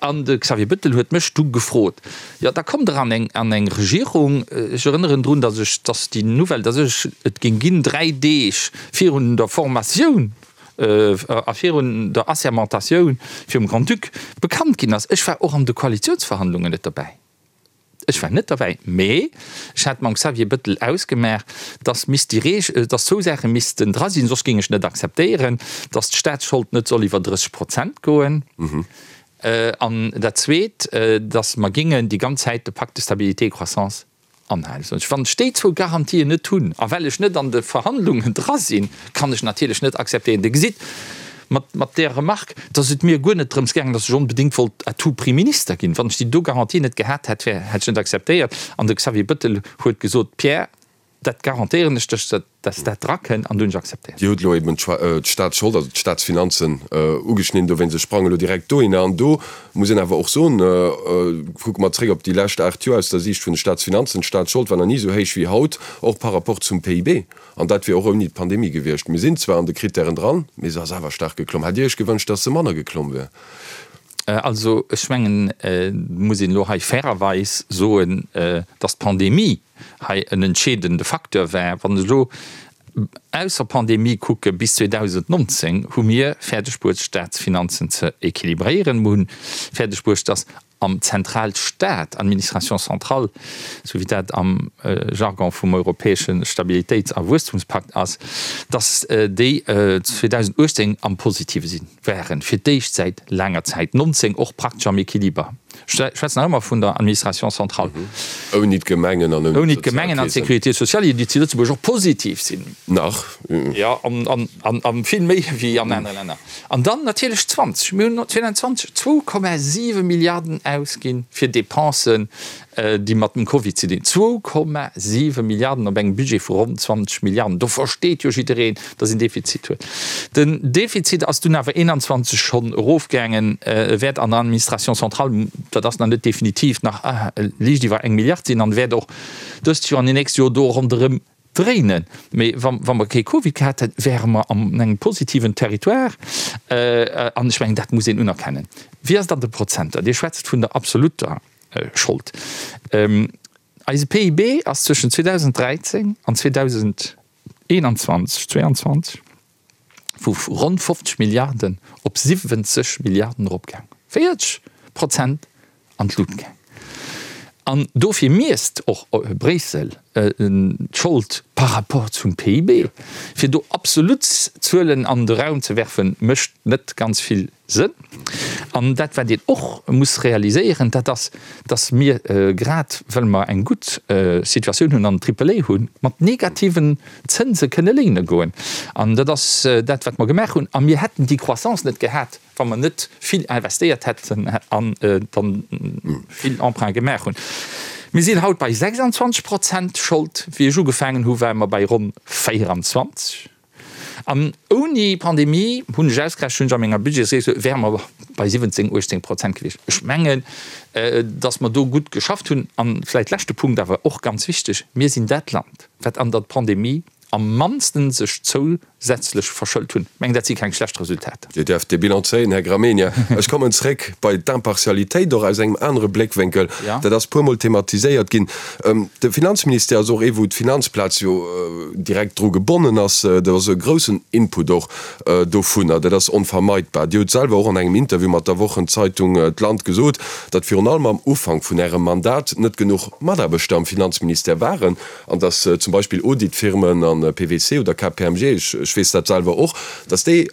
an de Xavier Bettel huet mech du gefrot, jo da kommt Der an eng an eng Regierung. Ech erënneren drun, datt ech, datt déi Nouvelle, datt ech et géing ginn, dräi Deeg virun der Formatioun a virun der Assermentatioun virum Grand-Duc bekannt ginn ass. Ech war och an de Koalitiounsverhandlungen net derbäi. Ech war net derbäi, mee ech hat mam Xavier Bettel ausgemaach, dass misst déi Reeg, dass zwou Saache missten dra sinn, soss géing ech net akzeptéieren, dass d'Staatsschold net soll iwwer 30 Prozent goen, an dat Zweet, dass mer géingen déi ganz Zäit de Pacte de stabilité et croissance Anhalen. Soen ech, wann ech déi zwou Garantien net hunn, a well ech net an de Verhandlungen dra sinn, kann ech natierlech net akzeptéieren. Dir gesitt mat, mat där Remarque, dass et mir guer net drëms gaangen, dass ech onbedéngt wollt à tout prix Minister ginn. Wann ech déi do Garantien net gehat hätt, wär, hätt ech net akzeptéiert. An de Xavier Bettel huet gesot, Pierre, dat garantéieren ech dech, dass dat drakënn, an du hunn ech akzeptéiert. Dir hutt elo eben d'Staatsschold, also d'Staatsfinanzen ugeschnidden, dowéinst ech sprange elo direkt dohinner. An do muss een awer och soen, kucke mer zréck op déi lescht 8 Joer aus der Siicht vun de Staatsfinanzen, d'Staatsschold war nach ni esou héich wéi haut, och par rapport zum PIB. An dat wier och ouni d'Pandemie gewiescht. Mir sinn zwar an de Krittären dran, mee se ass awer staark geklomm. Hätt Dir Iech gewënscht, dass se manner geklomm wier? Also ech mengen, et muss een elo hei fairerweis soen, dass d'Pandemie hei en entscheedende Facteur war. Wann ech elo ausser Pandemie kucke bis 2019, hu mir fäerdegbruecht d'Staatsfinanzen ze équilibréieren. Mir hunn fäerdegbruecht, dass am Zentralstaat, Administration centrale, esou wéi dat am Jargon vum europäesche Stabilitéits a Wuesstumspakt ass, dass déi 2018 am Positive sinn, waren, fir d'éischt säit laanger Zäit, 19 och praktesch am Équiliber. Ech schwätzen nach ëmmer vun der Administration centrale. Ouni d'Gemengen an ouni d'Gemengen an d'Sécurité sociale, déi zu Lëtzebuerg och positiv sinn. Nach. Jo, a vill méi wéi an anere Länner. An dann natierlech 20. Mir hunn 2020 2,7 Milliarden ausginn fir Dépensen. déi mat dem Covid ze dinn. 2,7 Milliarden op engem Budget vu ronn 20 Milliarden. Do versteet jo jiddereen, datt een Defizit huet. Den Defizit ass dunn awer 21 schonn erofgaangen, e wäert an der Administration centrale, dat ass nach net definitiv, nach liicht iwwer eng Milliard sinn an wäert och dëst Joer an déi nächst Joer do ronderëm dréinen. Mee wa mer kee Covid gehat hätten, wäre mer an engem positiven Territoire. An ech mengen, dat muss een unerkennen. Wéi ass et an de Prozenter? Dir schwätzt vun der absolutter Schold. Eise PIB ass zwëschen 2013 an 2021, 2022 vu ronn 50 Milliarden op 70 Milliarden eropgaang. 40 Prozent an d'Lut gaang. An dofir miesst och Bréissel d'Schold par rapport zum PIB. Fir do absolut Zuelen an de Raum ze werfen, mécht net ganz vill Sënn. An dat, wat een och muss realiséieren, dat ass, dass mir, grad well mer eng gutt Situatioun hunn an Triple A hunn, mat negativen Zënse kënne léine goen. An dat ass dat, wat mer gemaach hunn. A mir hätten déi Croissance net gehat, wa mer net vill investéiert hätten an dann vill Emprunte gemaach hunn. Mir sinn haut bei 26 Prozent Schold. Wéi ech ugefaangen hu ware mer bei ronn 24. An ouni Pandemie, hunn ech ausgerechent, hunn ech a menger Budgetsried gesot, wäre mer bei 17, 18 Prozent gewiescht. Ech mengen, datt mer do gutt geschafft hunn. An vläicht leschte Punkt, awer och ganz wichteg, Mir sinn dat Land, wat an der Pandemie am mannsten sech zousätzlech verschëlt hunn. Ech mengen, dat si keng schlecht Resultater. Dir däerft dee Bilan zéien, Här Gramegna. Ech kommen zréck bei d'Impartialitéit, och aus engem anere Bléckwénkel. Dat ass puermol thematiséiert ginn. De Finanzministère ass och ee wou d'Finanzplaz jo direkt dru gebonnen ass. Dat ass e groussen Input och dovunner. Dat ass onvermeidbar. Dir hutt selwer och an engem Interview mat der Wochenzeitung d'Land gesot, datt virun allem am Ufank vun Ärem Mandat net genuch Mataarbechter am Finanzministère waren an datt zum Beispill Auditfirmen an PwC oder KPMG, ech weess dat selwer och, datt déi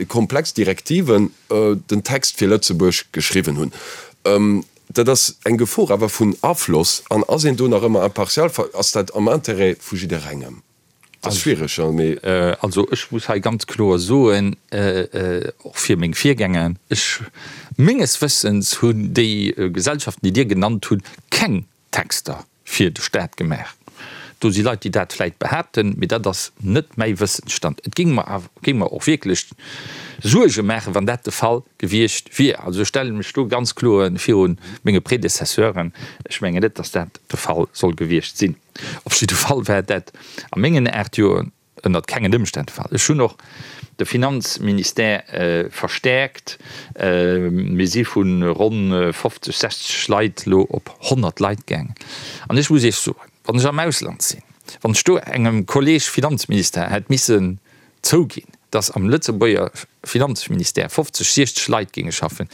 komplex Direktiven den Text fir Lëtzebuerg geschriwwen hunn. Dat ass eng Gefor awer vun Afloss. An ass een do nach ëmmer impartial? Ass dat am Intérêt vu jidderengem? Dat ass schwiereg, mee. Also ech muss hei ganz kloer soen, och fir meng Virgänger, ech, menges Wëssens hunn déi Gesellschaften, déi Dir genannt hutt, keng Texter fir de Staat gemaach. Do si Leit, déi dat vläit behaapten, mee dat ass net mäi Wëssensstand. Et géing mer awer, géing mer och wierklech Suerge maachen, wann dat de Fall gewiescht wier. Also ech stelle mech do ganz kloer viru menge Predecesseuren. Ech mengen net, datt dat de Fall soll gewiescht sinn. Op jidde Fall war dat a mengen 8 Joer Ënnert kengen Ëmstänn de Fall. Ech hunn och de Finanzministère verstäerkt. Mir si vu ronn 50, 60 Leit elo op 100 Leit gaangen. An ech muss Iech soen, wann ech am Ausland sinn, wann ech do engem Kolleeg Finanzminister hätt missen zouginn, datt am Lëtzebuerger Finanzministère 50, 60 Leit géinge schaffen,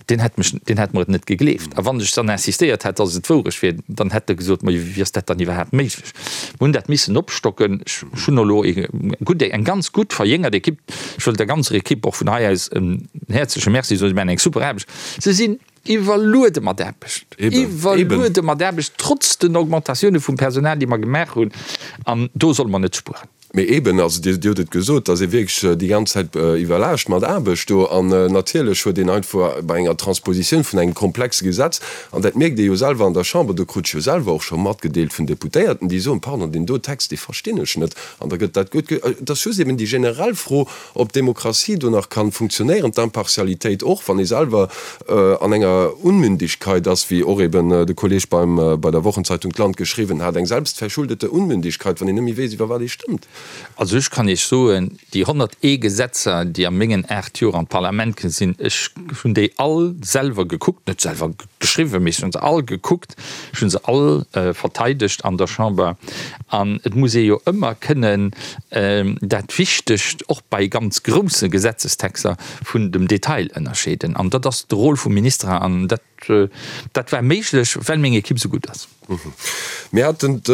deen hätt mech, deen hätt mer et net gegleeft. A wann ech dann insistéiert hätt, datt et d'Wourecht wier, dann hätt e gesot, Ma wéi ass dat dann iwwerhaapt méiglech? Mir hunn dat missen opstocken. Ech hunn elo e gutt, eng ganz gutt verjéngert Ekipp. Ech wëll der ganzer Ekipp och vun hei aus en häerzleche Merci soen. Si maachen eng super Aarbecht. Se sinn iwwerluede mat Aarbecht, iwwerluede mat Aarbecht, trotz den Augmentatioune vum Personal, déi mer gemaach hunn. An do solle mer net spueren. Mee eeben, also Dir hutt et gesot, dass ee wierklech déi ganz Zäit iwwerlaascht mat Aarbecht do. An natierlech huet een einfach bei enger Transpositioun vun engem komplexe Gesetz, an dat mierkt ee jo selwer an der Chamber, do krut ech jo selwer och scho matgedeelt vun Deputéierten, déi soen, Pardon, deen do Text, dee verstinn ech net. An da gëtt dat gutt. Et ass just eeben déi generell Fro, ob d'Demokratie do nach kann funktionéieren, d'Impartialitéit och, wann ee selwer an enger Unmündigkeit ass, wéi och eben de Kolleg beim, bei der Wochenzeitung d'Land geschriwwen hat, eng selbstverschuldete Unmündigkeit, wann een net méi weess, iwwer wat ee stëmmt. Also ech kann Iech soen, déi 101 Gesetzer, déi a mengen 8 Joer an d'Parlament komm sinn, ech hunn déi all selwer gekuckt, net selwer geschriwwen, mee ech hunn se all gekuckt, ech hunn se all verteidegt an der Chamber. An et muss ee jo ëmmer kënnen dat Wichtegt, och bei ganz grousse Gesetzestexter, vun dem Detail ënnerscheeden. An dat ass de Rôle vum Minister. An dat, dat war méiglech, well meng Equipe esou gutt ass. Mir haten et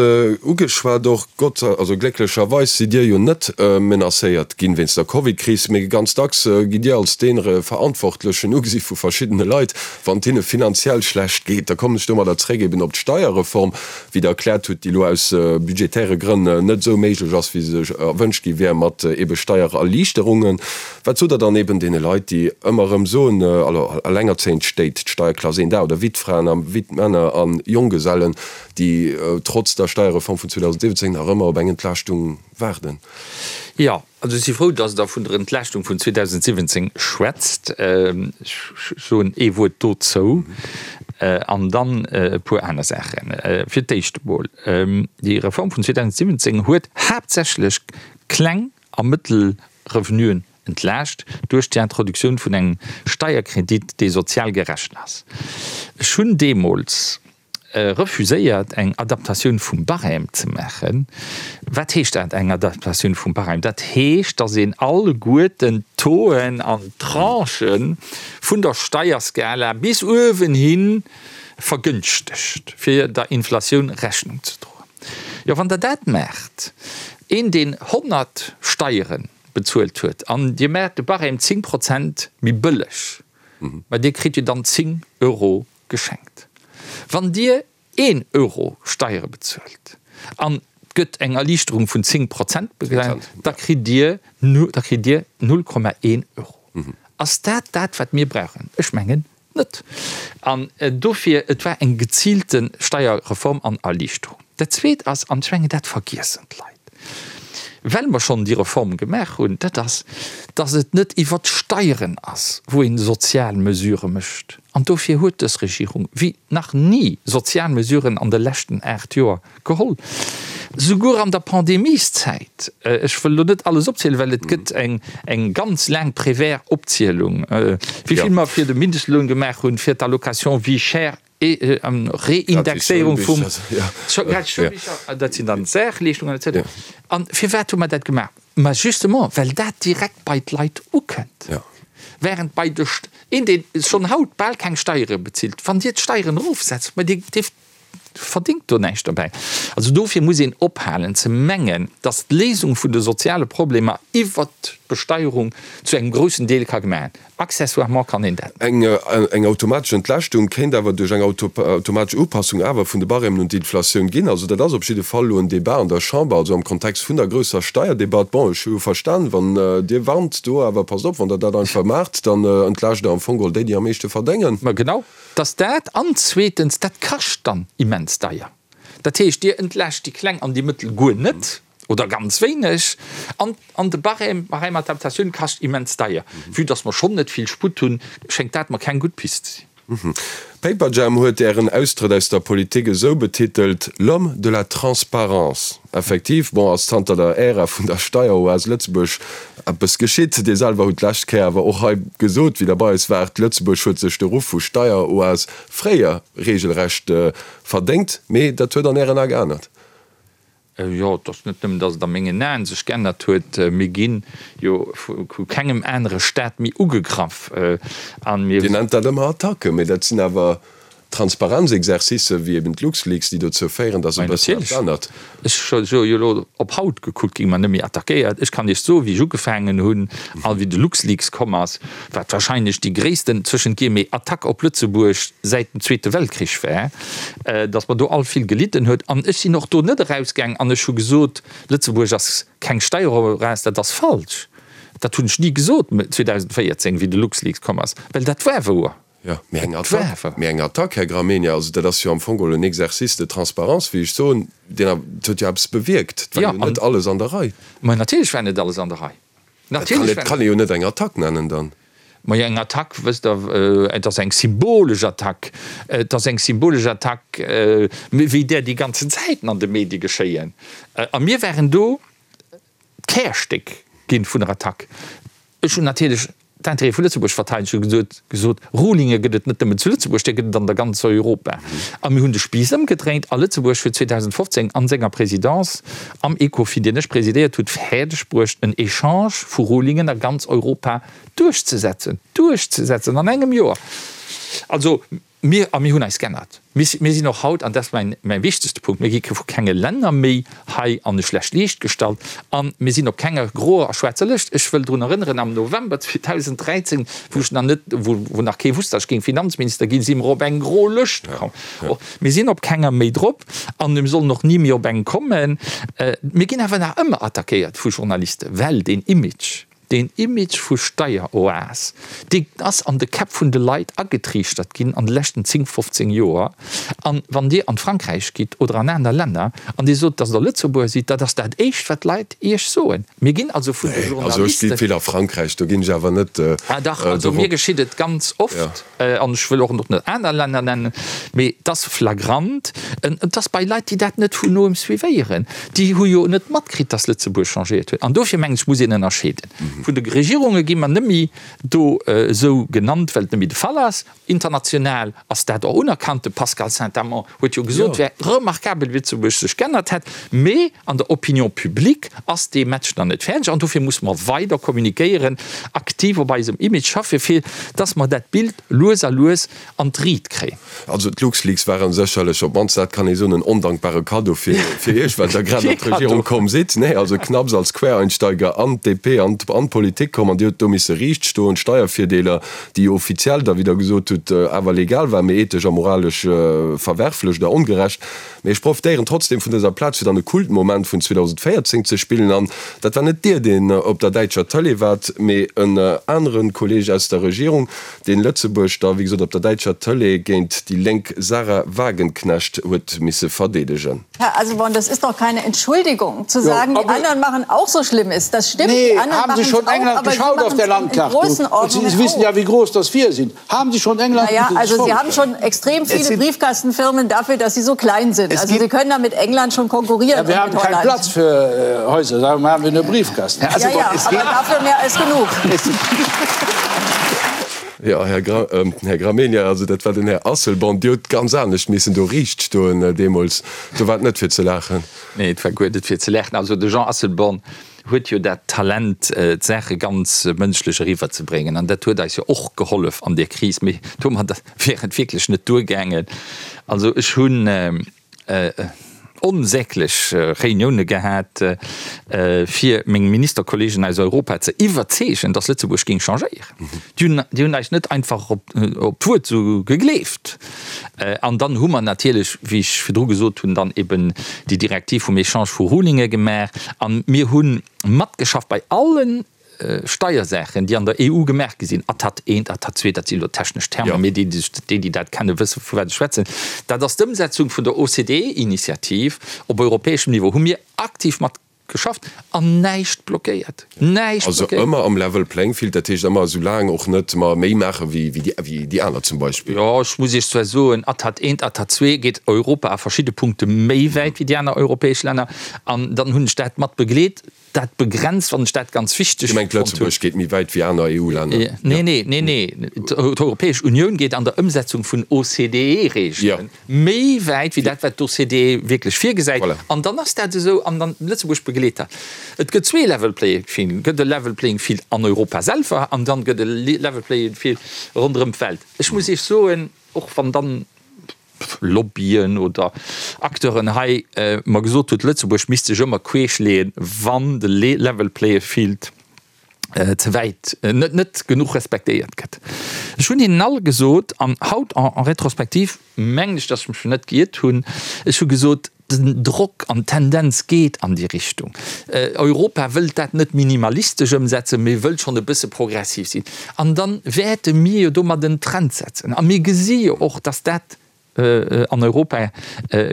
ugeschwat och, Gott, also glécklecherweis sidd Dir jo net menacéiert ginn wéinst der Covidkris, mee ganz dacks gitt Dir als dee Verantwortlechen ugesi vu verschiddene Leit, wann et hinne finanziell schlecht geet. Da kommen ech domadder zréck eben op d'Steierreform, wéi Der erkläert hutt, déi elo aus budgetäre Grënn net esou méiglech ass, wéi se erwënscht gi wär, mat ebe Steiererliichterungen. Wat sot Der dann eben deene Leit, déi ëmmer erëm soen, alors, allengerzéiend Stéit, d'Steierklass. een Dag, oder Wittfraen a Wittmänner a Jonggesellen, déi trotz der Steierreform vun 2017 nach ëmmer op eng Entlaaschtung waarden. Jo, also ech si frou, dass Der vun der Entlaaschtung vun 2017 schwätzt. Ech soen ee Wuert dozou an dann e puer aner Saachen. Fir d'éischt emol, déi Reform vun 2017 huet haaptsächlech kleng a mëttel Revenuen entlaascht duerch d'Introduktioun vun engem Steierkredit, dee sozial gerecht ass. Ech hunn deemools refuséiert, eng Adaptatioun vum Barème ze maachen. Wat heescht dat, eng Adaptatioun vum Barème? Dat heescht, datt een alleguerten d'Tauxen an d'Tranchë vun der Steierskala bis uewen hi vergënschtegt, fir der Inflatioun Rechnung ze droen. Jo, wann Der dat maacht, een, deen 100 Steiere bezuelt huet, an Dir maacht de Barème 10 Prozent méi bëlleg, ma Dir kritt jo dann 10 Euro geschenkt. Wann Dir een Euro Steiere bezuelt an et gëtt eng Erliichterung vun 10 Prozent, da kritt Dir, da kritt Dir 0,1 Euro. Ass dat dat, wat mir brauchen? Ech mengen net. An dofir, et war eng geziilte Steierreform an Erliichterung. Dat Zweet ass, an ech mengen, dat vergiessen d'Leit, well mer schonn déi Reform gemaach hunn, dat ass, dass et net iwwert d'Steieren ass, wou ee sozial Mesurë mécht. An dofir huet dës Regierung wéi nach ni sozial Mesuren an de leschten 8 Joer geholl, souguer an der Pandemieszäit. Ech wëll elo net alles opzielen, well et gëtt eng ganz laang Prévert-Opzielung, wéi vill mer fir de Mindestloun gemaach hunn, fir d'Allocation vie chère, Reindexéierung vum dat sinn dann d'Saachleeschtungen etc. An firwat hu mer dat gemaach? Ma justement, well dat direkt bei d'Leit ukënnt. Während bei de een, dee schonn haut bal keng Steiere bezilt, wann Dir d'Steieren erofsetzt, ma dee verdéngt do näischt dobäi. Also dofir muss een ophalen ze mengen, datt d'Léisung vun de soziale Problemer iwwert d'Besteierung zu engem groussen Deel ka gemaach ginn. Accessoirement kann een dat. Eng automatesch Entlaaschtung kéint awer duerch eng automatesch Upassung awer vun de Barèmen un d'Inflatioun ginn. Also dat ass op jidde Fall elo en Débat an der Chamber, also am Kontext vun der grousser Steierdebatt. Bon, ech hu jo verstan, wann Dir warnt do, awer passt op, wann Der dat einfach maacht, dann entlaascht Der am Fong geholl déi, déi am meeschte verdéngen. Ma genau, dass dat. An zweetens, dat kascht dann immens deier. Dat heescht, Dir entlaascht déi Kleng an déi Mëttel guer net oder ganz wéineg an an de Barème, Barème-Adaptatioun kascht immens deier. Vue dass mer schonn net vill Sputt hunn, schéngt dat mer keng gutt Pist ze sinn. Paperjam huet Ären Austrëtt aus der Politik esou betitelt, L'homme de la transparence. Effektiv, bon, ass zanter der Ära vun der Steieroas Lëtzebuerg eppes geschitt. Dir selwer hutt d'lescht Kéier awer och hei gesot, wéi Der bei eis waart, Lëtzebuerg huet sech de Ruff vu Steieroas fréier regelrecht Verdéngt, mee dat huet an Ären Ae geännert. Jo, et ass net nëmmen, datt et a mengen Aen sech geännert huet. Mir gi jo vu kengem anere Staat méi ugegraff a mir. Dir nennt dat ëmmer Attacken, mee dat sinn awer Transparenzexercicen, wéi eben d'LuxLeaks, déi dozou féieren, datt e bëssen eppes ännert. Ech hu jo elo op haut gekuckt, gi mer net méi attackéiert. Ech kann Iech soen, wéi ech ugefaangen hunn a wéi de LuxLeaks komm ass, wat wahrscheinlech déi gréissten, zwëschent Guillemets, Attack op Lëtzebuerg säit dem Zweete Weltkrich war, datt mer do all vill gelidden huet. An ech sinn och do net erausgaang an ech hu gesot, Lëtzebuerg ass keng Steieroas. Dat ass falsch. Dat hunn ech ni gesot 2014, wéi de LuxLeaks komm ass, well dat war wouer. Jo, mee eng Attack, mee eng Attack, Här Gramegna, also dat ass jo am Fong geholl en Exercice de transparence, wéi ech soen, deen awer, dat huet jo eppes bewierkt. Et war jo net alles an der Rei. Ma natierlech war net alles an der Rei. Dat kann, dat kann ee jo net eng Attack nennen dann. Majo, eng Attack, wësst Der, et ass eng symbolesch Attack. Et ass eng symbolesch Attack, wéi där déi ganzen Zäiten an de Medie geschéien. A mir waren do d'Kärstéck ginn vun der Attack. Ech hunn natierlech d'Intérêtë vu Lëtzebuerg verteidegt. Ech hu gesot, gesot, Rulinge gëtt et net nëmmen zu Lëtzebuerg, déi gëtt et an der ganzer Europa. A mir hunn de Spiiss ëmgedréint a Lëtzebuerg huet 2015 an senger Présidence am Ecofin, deen ech presidéiert hutt, fäerdeg bruecht, en Echange vu Rulingen a ganz Europa duerchzesetzen, duerchzesetzen an engem Joer. Also Mir, a mir hunn eis g'ännert, mir, mir sinn och haut, an dat ass mäin, mäi wichtegste Punkt, mir gi vu kenge Länner méi hei an e schlecht Liicht gestallt a mir sinn op kenger groer a schwaarzer Lëscht. Ech wëll drun erënneren, am November 2013, wou ech nach net, wou, wou nach kee wusst, datt ech géing Finanzminister ginn, si mer op eng gro Lëscht komm. Och mir sinn op kenger méi drop an mir sollen och ni méi op eng kommen. Mir ginn awer nach ëmmer attackéiert vu Journalisten, well deen Image. Deen Image vu Steieroas, dee ass an de Käpp vun de Leit agetriichtert ginn an de leschten 10, 15 Joer. An wann Dir an Frankräich gitt oder an aner Länner an Dir sot, datt Der Lëtzebuerger sidd, dat ass dat éischt wat d'Leit Iech soen. Mir ginn also vun de Journalisten. Also ech gi vill a Frankräich, do ginn ech awer net dorop. Ah dach, also mir geschitt et ganz oft, an ech wëll och net aner Länner nennen, mee et ass flagrant, et ass bei Leit, déi dat net vun noem suivéieren, déi hu jo net matkritt, datt Lëtzebuerg changéiert huet. An dofir mengen ech, muss een ënnerscheeden. Vun de Regierunge gi mer net méi do esou genannt, well et net méi de Fall ass. International ass dat och unerkannt. De Pascal Saint-Amand huet jo gesot, et wär remarkabel, wéi Lëtzebuerg sech g'ännert hätt. Mee an der Opinion publique ass dee Match nach net fäerdeg. An dofir musse mer weider kommunikéieren, aktiv op eisem Image schaffen, fir dass mer dat Bild lues a lues an d'Riit kréien. Also d'LuxLeaks waren sécherlech, op d'mannst dat kann ee soen, en ondankbare Kaddo fir Iech, well Der grad an d'Regierung komm sidd. Nee, also knapps als Quereinsteiger an d'DP, an d'Politik komm an Dir hutt do misse riicht stoen, Steiervirdeeler, déi jo offiziell da, wéi Der gesot hutt, awer legal war, mee ethesch a moralesch verwerflech oder ongerecht. Mee ech profitéieren trotzdem vun dëser Plaz, fir dann e Kultmoment vun 2014 ze spillen. An dat war net Dir, deen op der däitscher Tëlee waart, mee en anere Kolleeg aus der Regierung, deen Lëtzebuerg da, wéi gesot, op der däitscher Tëlee géint déi lénk Sahra Wagenknecht huet misse verdeedegen. Herr Asselborn, das ist doch keine Entschuldigung, zu sagen, die anderen machen auch so schlimm ist. Das stimmt, nee, die anderen haben Sie schon England auch, geschaut auf der Landkarte? Und Sie wissen ja, wie groß das wir sind. Haben Sie schon England? Naja, also Sie haben schon extrem viele Briefkastenfirmen dafür, dass sie so klein sind. Also Sie können da mit England schon konkurrieren. Ja, wir haben keinen Platz für äh, Häuser, darum haben wir nur Briefkasten. Ja, ja, aber dafür mehr als genug. Jo, Här Gra, Här Gramegna, also dat war den Här Asselborn. Dir hutt ganz anescht missen do riicht stoen deemools. Do war et net fir ze laachen. Nee, et war guer net fir ze laachen. Also de Jean Asselborn huet jo dat Talent, d'Saache ganz mënschlech eriwwerzebréngen. An dat huet eis jo och gehollef an där Kris. Mee domadder wär et wierklech net duergaangen. Also ech hunn. onsäglech Reunioune gehat, fir meng Ministerkollegen aus Europa ze iwwerzeegen, datt Lëtzebuerg géing changéieren. Déi hunn, déi hunn eis net einfach op d'Wuert esou gegleeft. An dann hu mer natierlech, wéi ech virdru gesot hunn, dann eben déi Direktiv vum Echange vu Rulinge gemaach. A mir hu matgeschafft bei allen Steiersaachen, déi an der EU gemaach gi sinn, ATAT I, ATAT II, dat si elo technesch Termer, mee déi, déi dat kennen, wësse vu wat ech schwätzen, dat ass d'Ëmsetzung vun der OCDE-Initiativ op europäeschem Niveau, hu mir aktiv mat geschafft an näischt blockéiert, näischt Also blockéiert. ëmmer am Level playing field, dat heescht ëmmer esou laang och net mer méi maache wéi déi aner zum Beispill. Jo, ech muss Iech zwar soen, ATAT I, ATAT II geet Europa a verschidde Punkte méi wäit wéi déi aner europäesch Länner an dann hunn ech dat mat begleet. Dat begrenzt, wann ech dat ganz wichteg Dir mengt, fonnt hunn. Lëtzebuerg geet méi wäit wéi aner EU-Länner? Nee, nee, nee, nee. D'Europäesch Unioun geet an der Ëmsetzung vun OCDE-Reegele méi wäit wéi dat, wat d'OCDE wierklech virgesäit. Voilà. An dann ass dat esou, an dann Lëtzebuerg begleet dat. Et gëtt zwee Level playing field. Et gëtt e Level playing field an Europa selwer an dann gëtt e Level playing field ronderëm d'Welt. Ech muss Iech soen, och wann dann Lobbyen oder Acteuren hei mer gesot huet, Lëtzebuerg misst sech ëmmer queesch leeën, wann de Level Playing Field ze wäit, net net genuch respektéiert gëtt. Ech hunn hinnen all gesot, an haut en rétrospective mengen ech, datt ech mech net giert hunn, ech hu gesot, Den Drock an d'Tendenz geet an déi Richtung. Europa wëllt dat net minimalistesch ëmsetzen, mee wëllt schonn e bësse progressiv sinn. An da wäerte mir jo domat en Trend setzen. A mir gesi jo och, dass dat an Europa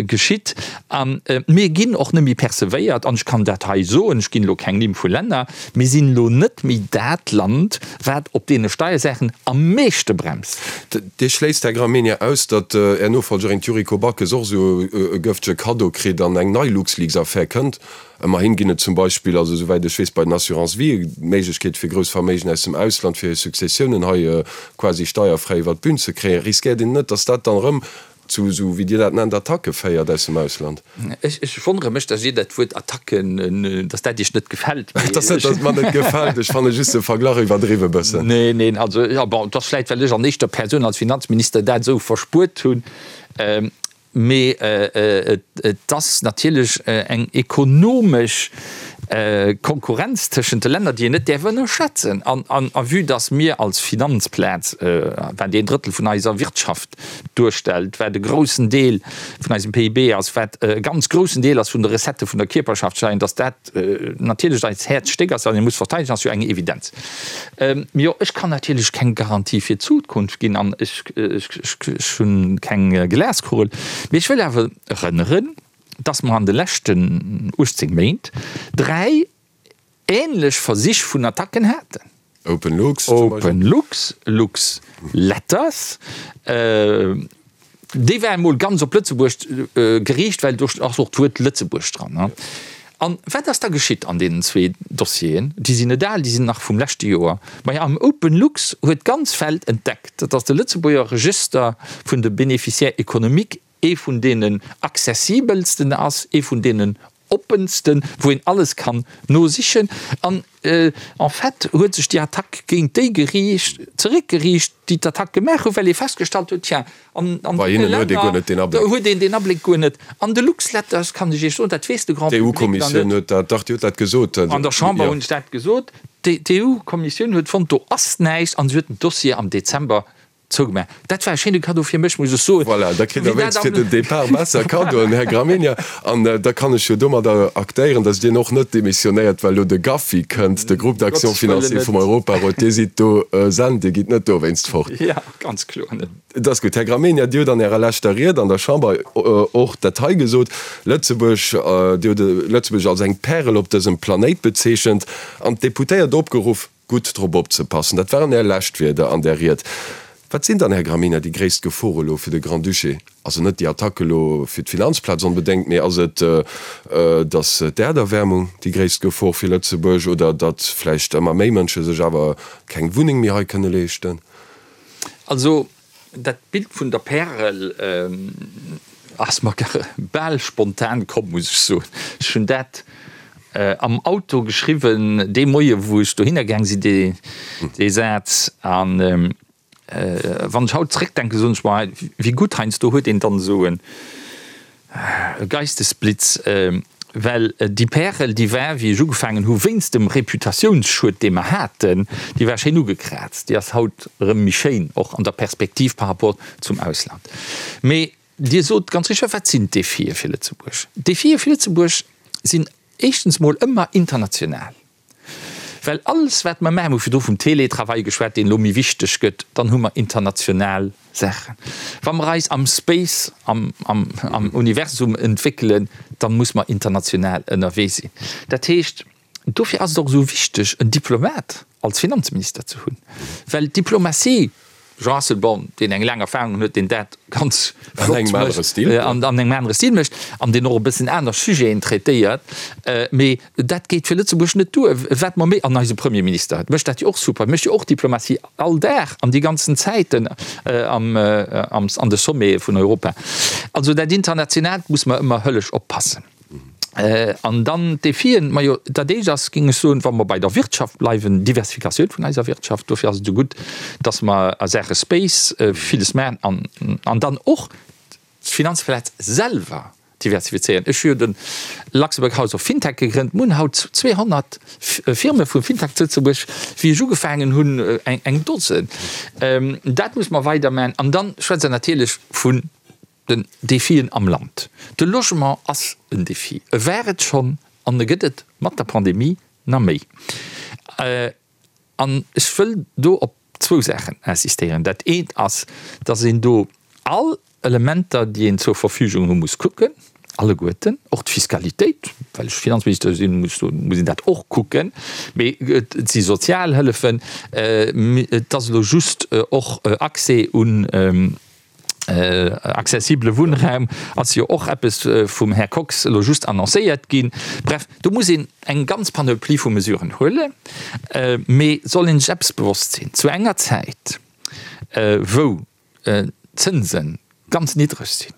geschitt. A mir ginn och net méi percevéiert, an ech kann dat hei soen, ech ginn elo keng Nimm vu Länner, mir sinn elo net méi dat Land, wat op deene Steiersaachen am meeschte bremst. Dir schléisst, Här Gramegna, aus, datt Är Nofolgerin, d'Yuriko Backes, och esou e gëftege Kaddo kritt an eng nei LuxLeaks-Affär kënnt. Ëmmerhin ginn et zum Beispill, also esouwäit ech weess, bei den Assurance-vie d'Méiglechkeet fir grouss Verméigen aus dem Ausland fir hir Successiounen hei quasi steierfräi iwwer d'Bün ze kréien. Riskéiert een net, datt dat dann erëm zu esou, wéi Dir dat nennt, Attacke féiert aus dem Ausland? Ech wonnere mech, dass Dir dat Wuert Attacken, dass dat Iech net gefält. Et ass net, dass et mer net gefält, ech fanne just de Verglach iwwerdriwwe bëssen. Neen, neen, also, jo, bon, et ass vläicht, well ech an éischter Persoun als Finanzminister dat esou verspuert hunn. Mee et ass natierlech eng ekonomesch. Konkurrenz tëschent de Länner, déi een net däerf ënnerschätzen. An, a vue dass mir als Finanzplaz, wat een Drëttel vun eiser Wirtschaft duerstellt, wat e groussen Deel vun eisem PIB ass, wat e ganz groussen Deel ass vun de Recettë vun der Kierperschaftssteier, dass dat natierlech eist Häerzstéck ass, wat ee muss verteidegen, ass jo eng Evidenz. Mee jo, ech kann natierlech keng Garantie fir d'Zukunft ginn an ech hunn keng Glaskugel. Mee ech wëll awer erënneren, dass mer an de leschten 18 Méint 3 ähnlech Versich vun Attacken haten. OpenLux zum Beispill. OpenLux, LuxLetters, déi war emol ganz op Lëtzebuerg geriicht, well do ass och d'Wuert Lëtzebuerg dran. An wat ass da geschitt an deenen zwee Dossieren? Déi sinn net al, déi sinn nach vum leschte Joer. Majo, am OpenLux huet d'ganz Welt entdeckt, dass de Lëtzebuerger Regëster vun de Bénéficiaires économiques ee vun deenen accessibelsten ass, ee vun deenen oppensten, wou een alles kann nosichen. An en fait huet sech déi Attack géint déi geriicht, zeréckgeriicht, déi d'Attack gemaach hunn, well ee festgestallt huet, tiens, an deene Länner huet een deen Abléck guer net. An de Luxletters, kann ech Iech soen, dat weess de Grand Public nach net. D'EU-Kommissioun huet dat, dach, déi huet dat gesot. An der Chamber hunn ech dat gesot. D'EU-Kommissioun huet fonnt, do ass näischt, an se huet den Dossier am Dezember Zougemaach. Dat war e schéine Cadeau fir mech, muss ech soen. Voilà, da kritt Der wéinst fir den Depart besser Cadeauen, Här Gramegna. An da kann ech jo domadder aktéieren, datt Dir och net demissionéiert, well elo de GAFI kënnt, de Groupe d'action financier vum Europarot. Dir sidd do sent, Dir gitt net dowéinst fort. Jo, ganz kloer net. Et ass gutt. Här Gramegna, Dir hutt an Ärer leschter Ried an der Chamber och dat hei gesot, Lëtzebuerg, Dir hutt Lëtzebuerg als eng Pärel op dësem Planéit bezeechent an d'Deputéiert opgeruff, Gutt drop opzepassen. Dat waren Är lescht Wierder an där Ried. Wat sinn dann, Här Gramegna, déi gréisst Gefore elo fir de Grand-Duché? Also net déi Attack elo fir d'Finanzplaz onbedéngt, mee ass et, datt d'Äerderwärmung déi gréisst Gefor fir Lëtzebuerg oder datt vläicht ëmmer méi Mënsche sech awer keng Wunneng méi hei kënne leeschten? Also Dat Bild vun der Pärel ass mer bal spontan komm, muss ech soen. Ech hunn dat am Auto geschriwwen, dee Moie wou ech dohinner gaang sinn, dee Saz. An wann ech haut zréckdenken, soen ech mer, wéi gutt heiansdo huet een dann esou e Geistesblitz, well déi Pärel, déi war, wéi ech ugefaangen hu, wéinst dem Reputatiounsschued, dee mer haten, déi war schéin ugekraazt. Déi ass haut erëm méi schéin, och an der Perspektiv par rapport zum Ausland. Mee Dir sot ganz richteg, wat sinn d'Defie fir Lëtzebuerg? D'Defie fir Lëtzebuerg sinn éischtens mol ëmmer international. Well alles wat mer maachen, mir hu virdru vum Teletravail geschwat, deen elo méi wichteg gëtt, dann hu mer international Saachen. Wa mer eis am Space, am Universum entwéckelen, da muss mer international ënnerwee sinn. Dat heescht, dofir ass et och esou wichteg, en Diplomat als Finanzminister ze hunn, well d'Diplomatie, Jean Asselborn, deen eng laang Erfahrung huet, deen dat ganz flott mécht an an engem anere Stil mécht an deen och e bëssen aner Sujeten traitéiert, mee dat geet fir Lëtzebuerg net duer. Wat mer méi, an eise Premierminister mécht dat jo och super, mécht jo och Diplomatie all Dag an déi ganzen Zäiten am an de Sommete vun Europa. Also dat Internationaalt muss mer ëmmer hëllesch oppassen. An dann d'Defien, majo, dat éischt ass, géing ech soen, wa mer bei der Wirtschaft bleiwen, Diversifikatioun vun eiser Wirtschaft. Dofir ass et esou gutt, dass mer a Saache Space villes maachen an, an dann och d'Finanzplaz selwer diversifizéieren. Ech hu jo de Luxembourg House of Fintech gegrënnt. Mir hunn haut 200 Firme vu Fintech zu Lëtzebuerg, wéi ech ugefaangen hunn, eng Dosen. Dat muss mer weidermaachen. An dann schwätzt Der natierlech vun Den Defien am Land. De Logement ass en Defi. E war et schonn an e gëtt et mat der Pandemie nach méi. An ech wëll do op zwou Saachen insistéieren. Dat eent ass, dass een do all Elementer, déi een zur Verfügung hu muss kucken, alleguerten, och d'Fiskalitéit, well ech Finanzminister sinn, muss een dat och kucken, mee et si Sozialhëllefen, et ass elo just och Accès un Accessibele Wunnraum ass jo och eppes vum Här Kox elo just annoncéiert ginn. Bref, do muss een eng ganz Panoplie vu Mesuren huelen. Mee soll een sech eppes bewosst sinn, Zu enger Zäit, wou d'Zënse ganz niddreg sinn,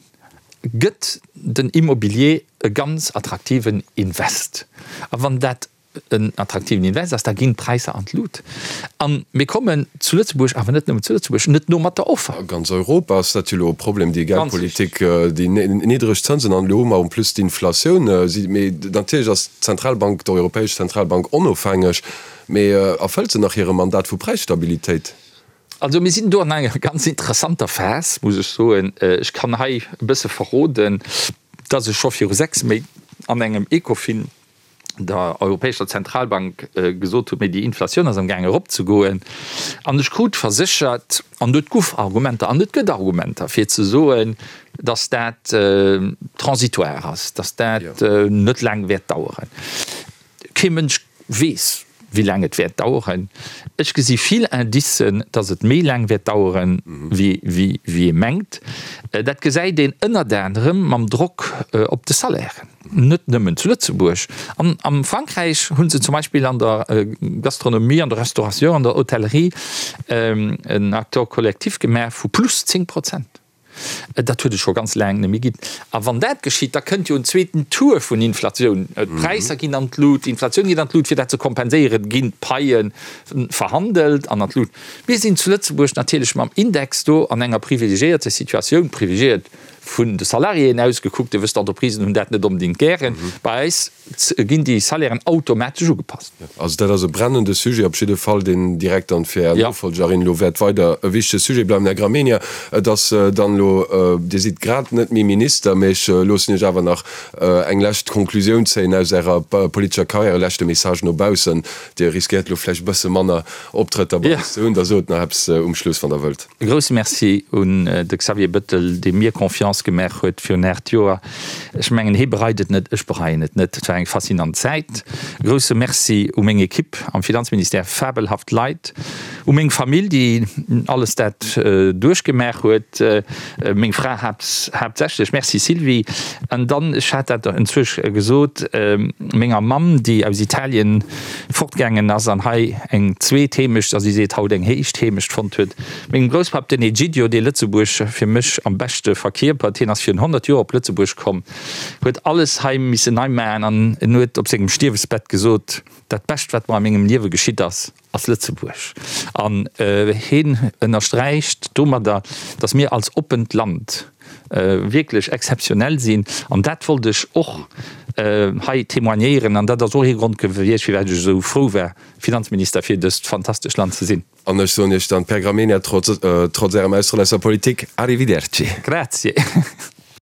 gëtt den Immobilier e ganz attraktiven Invest. A wann dat. en attraktiven Invest ass, da ginn d'Präisser an d'Lut. A mir kommen zu Lëtzebuerg, awer net nëmmen zu Lëtzebuerg, net no mat der Offer. A ganz Europa ass dat jo elo e Problem, déi Geldpolitik, déi niddreg Zënsen an elo hu mer en plus d'Inflatioun. Mee natierlech ass d'Zentralbank, d'Europäesch Zentralbank onofhängeg, mee erfëllt se nach hire Mandat vu Präisstabilitéit? Also mir sinn do an enger ganz interessanter Phas, muss ech soen. Ech kann hei e bësse verroden, dass ech scho viru 6 Méint an engem Ecofin der Europäescher Zentralbank gesot hunn, mee déi Inflatioun ass amgaang eropzegoen. An ech krut verséchert, an et guff Argumenter an et gëtt Argumenter fir ze soen, datt dat transitoire ass, datt dat net laang wäert daueren. Kee Mënsch weess, wéi laang et wäert daueren. Ech gesi vill Indicen, datt et méi laang wäert daueren, wéi ee mengt. Dat gesäit een ënnert anerem mam Drock op de Salairen. Net nëmmen zu Lëtzebuerg. An am Frankräich hu se zum Beispill an der Gastronomie, an der Restauration, an der Hotellerie en Accord collectif gemaach vu plus 10 Prozent. Dat huet et scho ganz laang net méi ginn. A wann dat geschitt, da kënnt jo en zweeten Tour vun Inflatioun. D'Präisser ginn an d'Lut, d'Inflatioun geet an d'Lut. Fir dat ze kompenséieren, ginn d'Paie verhandelt an an d'Lut. Mir sinn zu Lëtzebuerg natierlech mam Index do an enger privilegiéierte Situatioun, privilegiéiert vun de Salariéen aus gekuckt, Dir wësst, d'Entreprisen hunn dat net onbedéngt gären. Bei eis ginn déi Salairen automatesch ugepasst. Also dat ass e brennende Sujet op jidde Fall, deen direkt dann fir Är Nofolgerin elo wäert weider e wichtege Sujet bleiwen. Här Gramegna, et ass dann elo, Dir sidd grad net méi Minister, mä ech loossen Iech awer nach eng lescht Konklusioun zéien aus Ärer politescher Karriär, e leschte Message no baussen. Dir riskéiert elo vläicht e bësse manner Optrëtter bei eis ze hunn, da sot nach eppes um Schluss, wann Der wëllt. E grousse Merci un de Xavier Bettel, dee mir Confiance gemaach huet virun 8 Joer. Ech mengen, hee bereit et net, ech bereien et net. Et war eng faszinant Zäit. E grousse Merci u meng Equipe am Finanzministère, fabelhaft Leit, u meng Famill, déi alles dat duerchgemaach huet, meng Fra haaptsächlech, Merci Sylvie. An dann, ech hat dat enzwousch gesot, menger Mamm, déi aus Italien fortgaangen ass an hei eng zweet Heemecht, a si seet haut eng éischt Heemecht fonnt huet. Mengem Grousspapp, den Egidio, dee Lëtzebuerg fir mech am beschte verkierpert, hien ass virun 100 Joer op Lëtzebuerg komm, huet alles hei missen nei maachen an en huet op sengem Stierwesbett gesot, Dat Bescht, wat mer a mengem Liewe geschitt ass, ass Lëtzebuerg. An hien ënnersträicht domadder, datt mir als oppent Land wierklech exzeptionell sinn. An dat wollt ech och hei témoignéieren. An dat ass och ee Grond gewiescht, firwat ech esou frou war, Finanzminister fir dëst fantastescht Land ze sinn. An ech soen Iech dann, Per Gramegna, trotz, trotz Ärem Austrëtt aus der Politik, Arrivederci. Grazie.